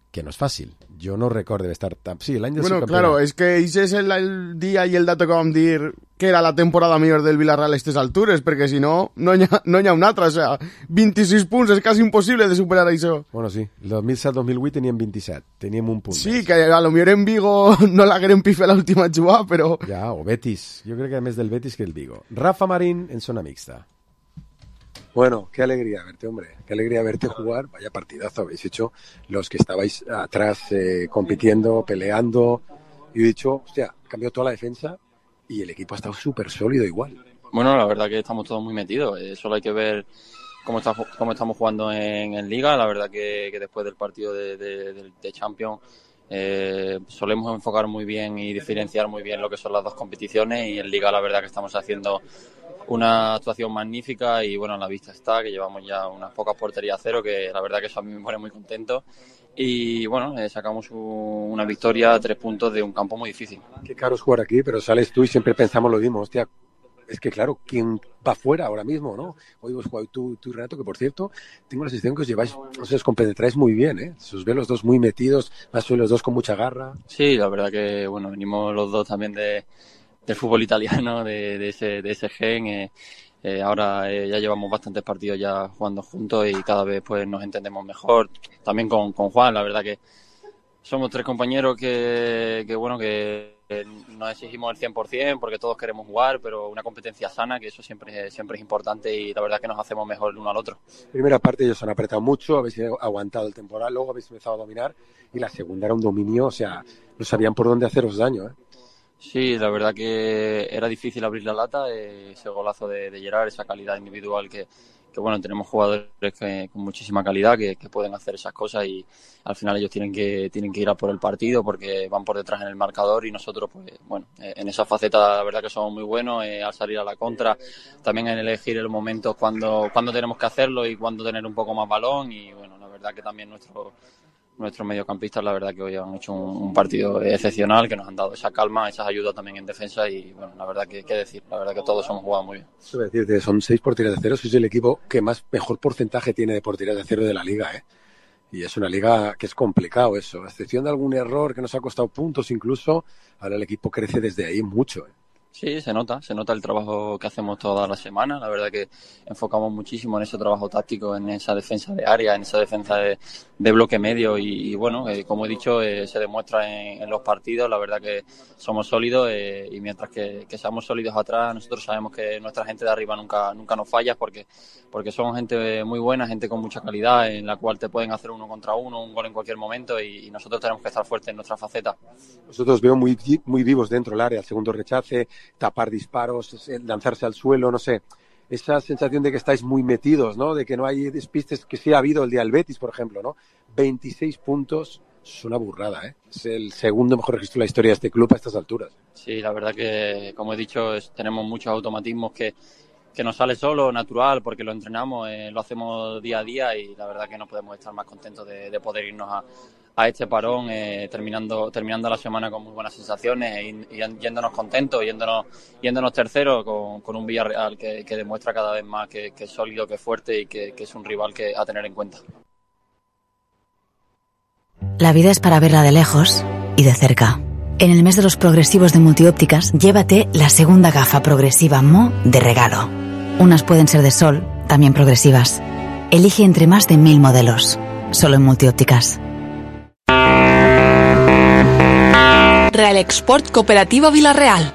que no es fàcil. Jo no recordo d'estar tan... Sí, l'any del subcampeón. Claro, es que ese es el día y el dato que vam dir que era la temporada millor del Villarreal a aquestes altures, perquè si no hi ha un altre, o sea, 26 punts, és quasi impossible de superar això. Bueno, sí, el 2007-2008 teníem 27, teníem un punt sí, més. Que a lo millor en Vigo no l'hagueren pife l'última jugada, però... Ja, o Betis, jo crec que més del Betis que el Vigo. Rafa Marín en zona mixta. Bueno, qué alegría verte, hombre. Qué alegría verte jugar. Vaya partidazo habéis hecho los que estabais atrás compitiendo, peleando. Y he dicho, hostia, cambió toda la defensa y el equipo ha estado súper sólido igual. Bueno, la verdad que estamos todos muy metidos. Solo hay que ver cómo estamos jugando en Liga. La verdad que después del partido de Champions solemos enfocar muy bien y diferenciar muy bien lo que son las dos competiciones, y en Liga la verdad que estamos haciendo una actuación magnífica y bueno, a la vista está que llevamos ya unas pocas porterías a cero, que la verdad que eso a mí me pone muy contento, y bueno, sacamos una victoria a 3 puntos de un campo muy difícil. Qué caro es jugar aquí, pero sales tú y siempre pensamos lo mismo, hostia, es que claro, ¿quién va fuera ahora mismo, no? Hoy vos jugado tú y Renato, que por cierto, tengo la sensación que os lleváis, os compenetráis muy bien, ¿eh? Se os ve los dos muy metidos, más sois los dos con mucha garra. Sí, la verdad que, bueno, venimos los dos también del fútbol italiano, de ese gen. Ahora ya llevamos bastantes partidos ya jugando juntos y cada vez pues nos entendemos mejor. También con Juan, la verdad que somos 3 compañeros que bueno, que no exigimos el 100% porque todos queremos jugar, pero una competencia sana, que eso siempre es importante y la verdad es que nos hacemos mejor el uno al otro. Primera parte ellos han apretado mucho, habéis aguantado el temporal, luego habéis empezado a dominar y la segunda era un dominio, o sea, no sabían por dónde haceros daño, ¿eh? Sí, la verdad que era difícil abrir la lata, ese golazo de Gerard, esa calidad individual que bueno, tenemos jugadores con muchísima calidad que pueden hacer esas cosas y al final ellos tienen que ir a por el partido porque van por detrás en el marcador y nosotros, pues bueno, en esa faceta la verdad que somos muy buenos al salir a la contra, también en elegir el momento cuando tenemos que hacerlo y cuando tener un poco más balón y bueno, la verdad que también nuestros mediocampistas la verdad que hoy han hecho un partido excepcional, que nos han dado esa calma, esas ayudas también en defensa y bueno, la verdad que qué decir, la verdad que todos hemos jugado muy bien. Eso voy a decirte, son 6 porterías de cero, sois el equipo que mejor porcentaje tiene de porterías de cero de la liga, ¿eh? Y es una liga que es complicado eso, a excepción de algún error que nos ha costado puntos incluso, ahora el equipo crece desde ahí mucho, ¿eh? Sí, se nota el trabajo que hacemos toda la semana. La verdad que enfocamos muchísimo en ese trabajo táctico, en esa defensa de área, en esa defensa de bloque medio y bueno, como he dicho, se demuestra en los partidos. La verdad que somos sólidos y mientras que seamos sólidos atrás, nosotros sabemos que nuestra gente de arriba nunca nos falla porque son gente muy buena, gente con mucha calidad, en la cual te pueden hacer 1 contra 1, un gol en cualquier momento y nosotros tenemos que estar fuertes en nuestra faceta. Nosotros veo muy vivos dentro del área, el segundo rechace, tapar disparos, lanzarse al suelo, no sé, esa sensación de que estáis muy metidos, ¿no? De que no hay despistes, que sí ha habido el día del Betis, por ejemplo, ¿no? 26 puntos, es una burrada, ¿eh? Es el segundo mejor registro de la historia de este club a estas alturas. Sí, la verdad que, como he dicho, tenemos muchos automatismos que nos sale solo, natural, porque lo entrenamos, lo hacemos día a día y la verdad que no podemos estar más contentos de poder irnos a este parón, terminando la semana con muy buenas sensaciones y yéndonos contentos, yéndonos terceros con un Villarreal que demuestra cada vez más que es sólido, que es fuerte y que es un rival a tener en cuenta. La vida es para verla de lejos y de cerca. En el mes de los progresivos de Multiópticas, llévate la segunda gafa progresiva Mo de regalo. Unas pueden ser de sol, también progresivas. Elige entre más de 1000 modelos. Solo en Multiópticas. Real Export Cooperativa Villarreal.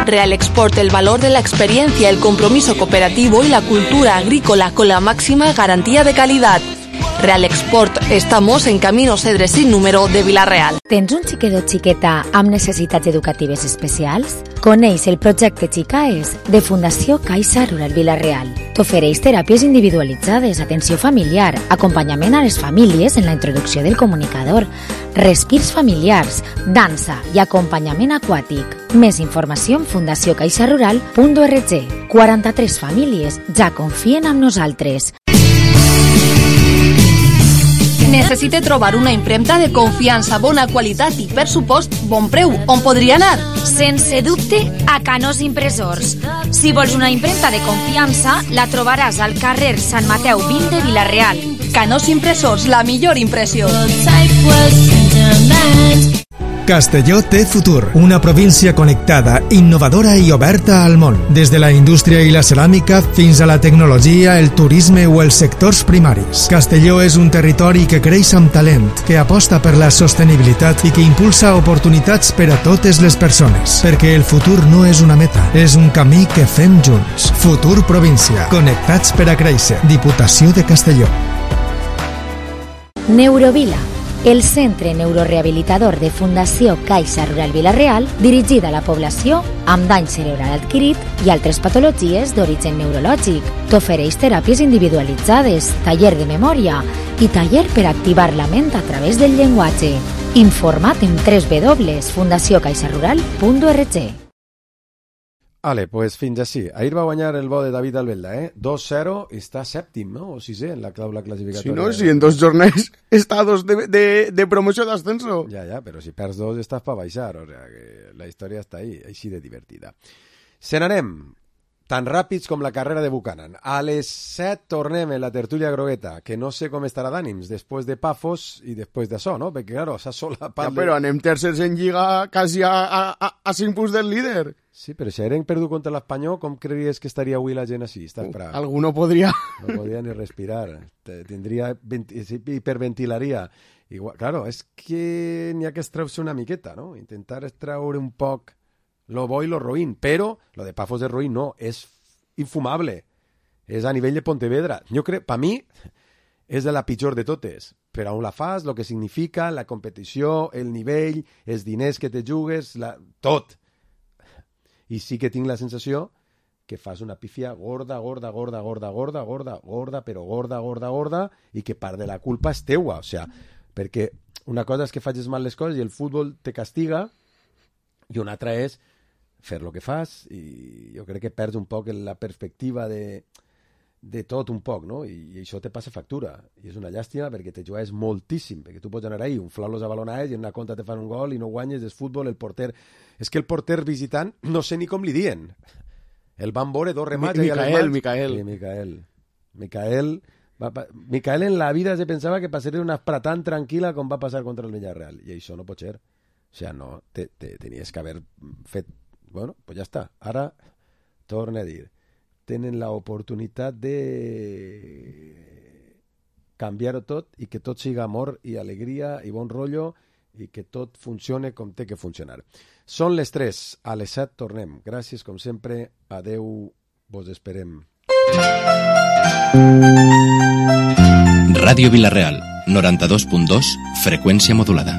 Real Export, el valor de la experiencia, el compromiso cooperativo y la cultura agrícola con la máxima garantía de calidad. Real Export, estamos en Camino Cedre sin número de Villarreal. Tens un xiquet o xiqueta amb necessitats educatives especials? Coneix el projecte Xicaes de Fundació Caixa Rural Villarreal. T'ofereix teràpies individualitzades, atenció familiar, acompanyament a les famílies en la introducció del comunicador, respirs familiars, dansa i acompanyament aquàtic. Més informació en fundaciocaixarural.org. 43 famílies ja confien en nosaltres. Necessite trobar una impremta de confiança, bona qualitat i per supost bon preu. On podria anar? Sense dubte, a Canós Impressors. Si vols una impremta de confiança, la trobaràs al carrer Sant Mateu 20 de Vila-real. Canós Impressors, la millor impressió. Castelló té futur, una província connectada, innovadora i oberta al món. Des de la indústria i la ceràmica fins a la tecnologia, el turisme o els sectors primaris. Castelló és un territori que creix amb talent, que aposta per la sostenibilitat i que impulsa oportunitats per a totes les persones. Perquè el futur no és una meta, és un camí que fem junts. Futur Província. Connectats per a créixer. Diputació de Castelló. Neurovila, el centre neurorehabilitador de Fundació Caixa Rural Villarreal, dirigida a la població amb dany cerebral adquirit i altres patologies d'origen neurològic. T'ofereix teràpies individualitzades, taller de memòria i taller per activar la ment a través del llenguatge. Informa't en www.fundaciocaixarural.org. Vale, pues fins així. Ahir va guanyar el bo de David Albelda, 2-0 i està sèptim, no? O sisè en la taula classificatòria. Si no, si en 2 jornades està a 2 de promoció d'ascenso. Ja, però si perds 2 estàs per baixar, o sea que la història està ahí, així de divertida. Se n'anem. tan ràpids com la carrera de Buchanan. A les 7 tornem en la tertúlia grogueta, que no sé com estarà d'ànims després de Pafos i després d'això, no? Perquè, claro, s'ha solapat... Ja, però anem tercers en Lliga quasi a 5 punts del líder. Sí, però si haguem perdut contra l'Espanyol, com creries que estaria avui la gent així? Alguno podria... No podria ni respirar. Tindria... hiperventilaria. Igual, claro, és que n'hi ha que extraure una miqueta, no? Intentar extraure un poc lo bo i lo roïn, però lo de Pafos de roïn no, és infumable. És a nivell de Pontevedra. Jo crec, per mi, és de la pitjor de totes. Per on la fas, el que significa, la competició, el nivell, els diners que te jugues, tot. I sí que tinc la sensació que fas una pífia gorda, però gorda, i que part de la culpa és teua. O sea, perquè una cosa és que facis mal les coses i el futbol te castiga, i una altra és fer el que fas, i jo crec que perds un poc la perspectiva de tot un poc, no? I això te passa factura, i és una llàstima perquè te jugues moltíssim, perquè tu pots anar ahí, inflar-los a balonades, i en una contra te fan un gol i no guanyes, és futbol, el porter... És que el porter visitant, no sé ni com li dient. El van veure 2 remats... Micael en la vida se pensava que passaria una espera tan tranquil·la com va passar contra el Villarreal, i això no pot ser. O sea, no, tenies que haver fet... Bueno, pues ja està. Ara, torna a dir, tenen l'oportunitat de canviar-ho tot i que tot siga amor i alegria i bon rotllo i que tot funcione com té que funcionar. Són les 3, a les 7 tornem. Gràcies, com sempre. Adeu, vos esperem. Ràdio Vila-real, 92.2, freqüència modulada.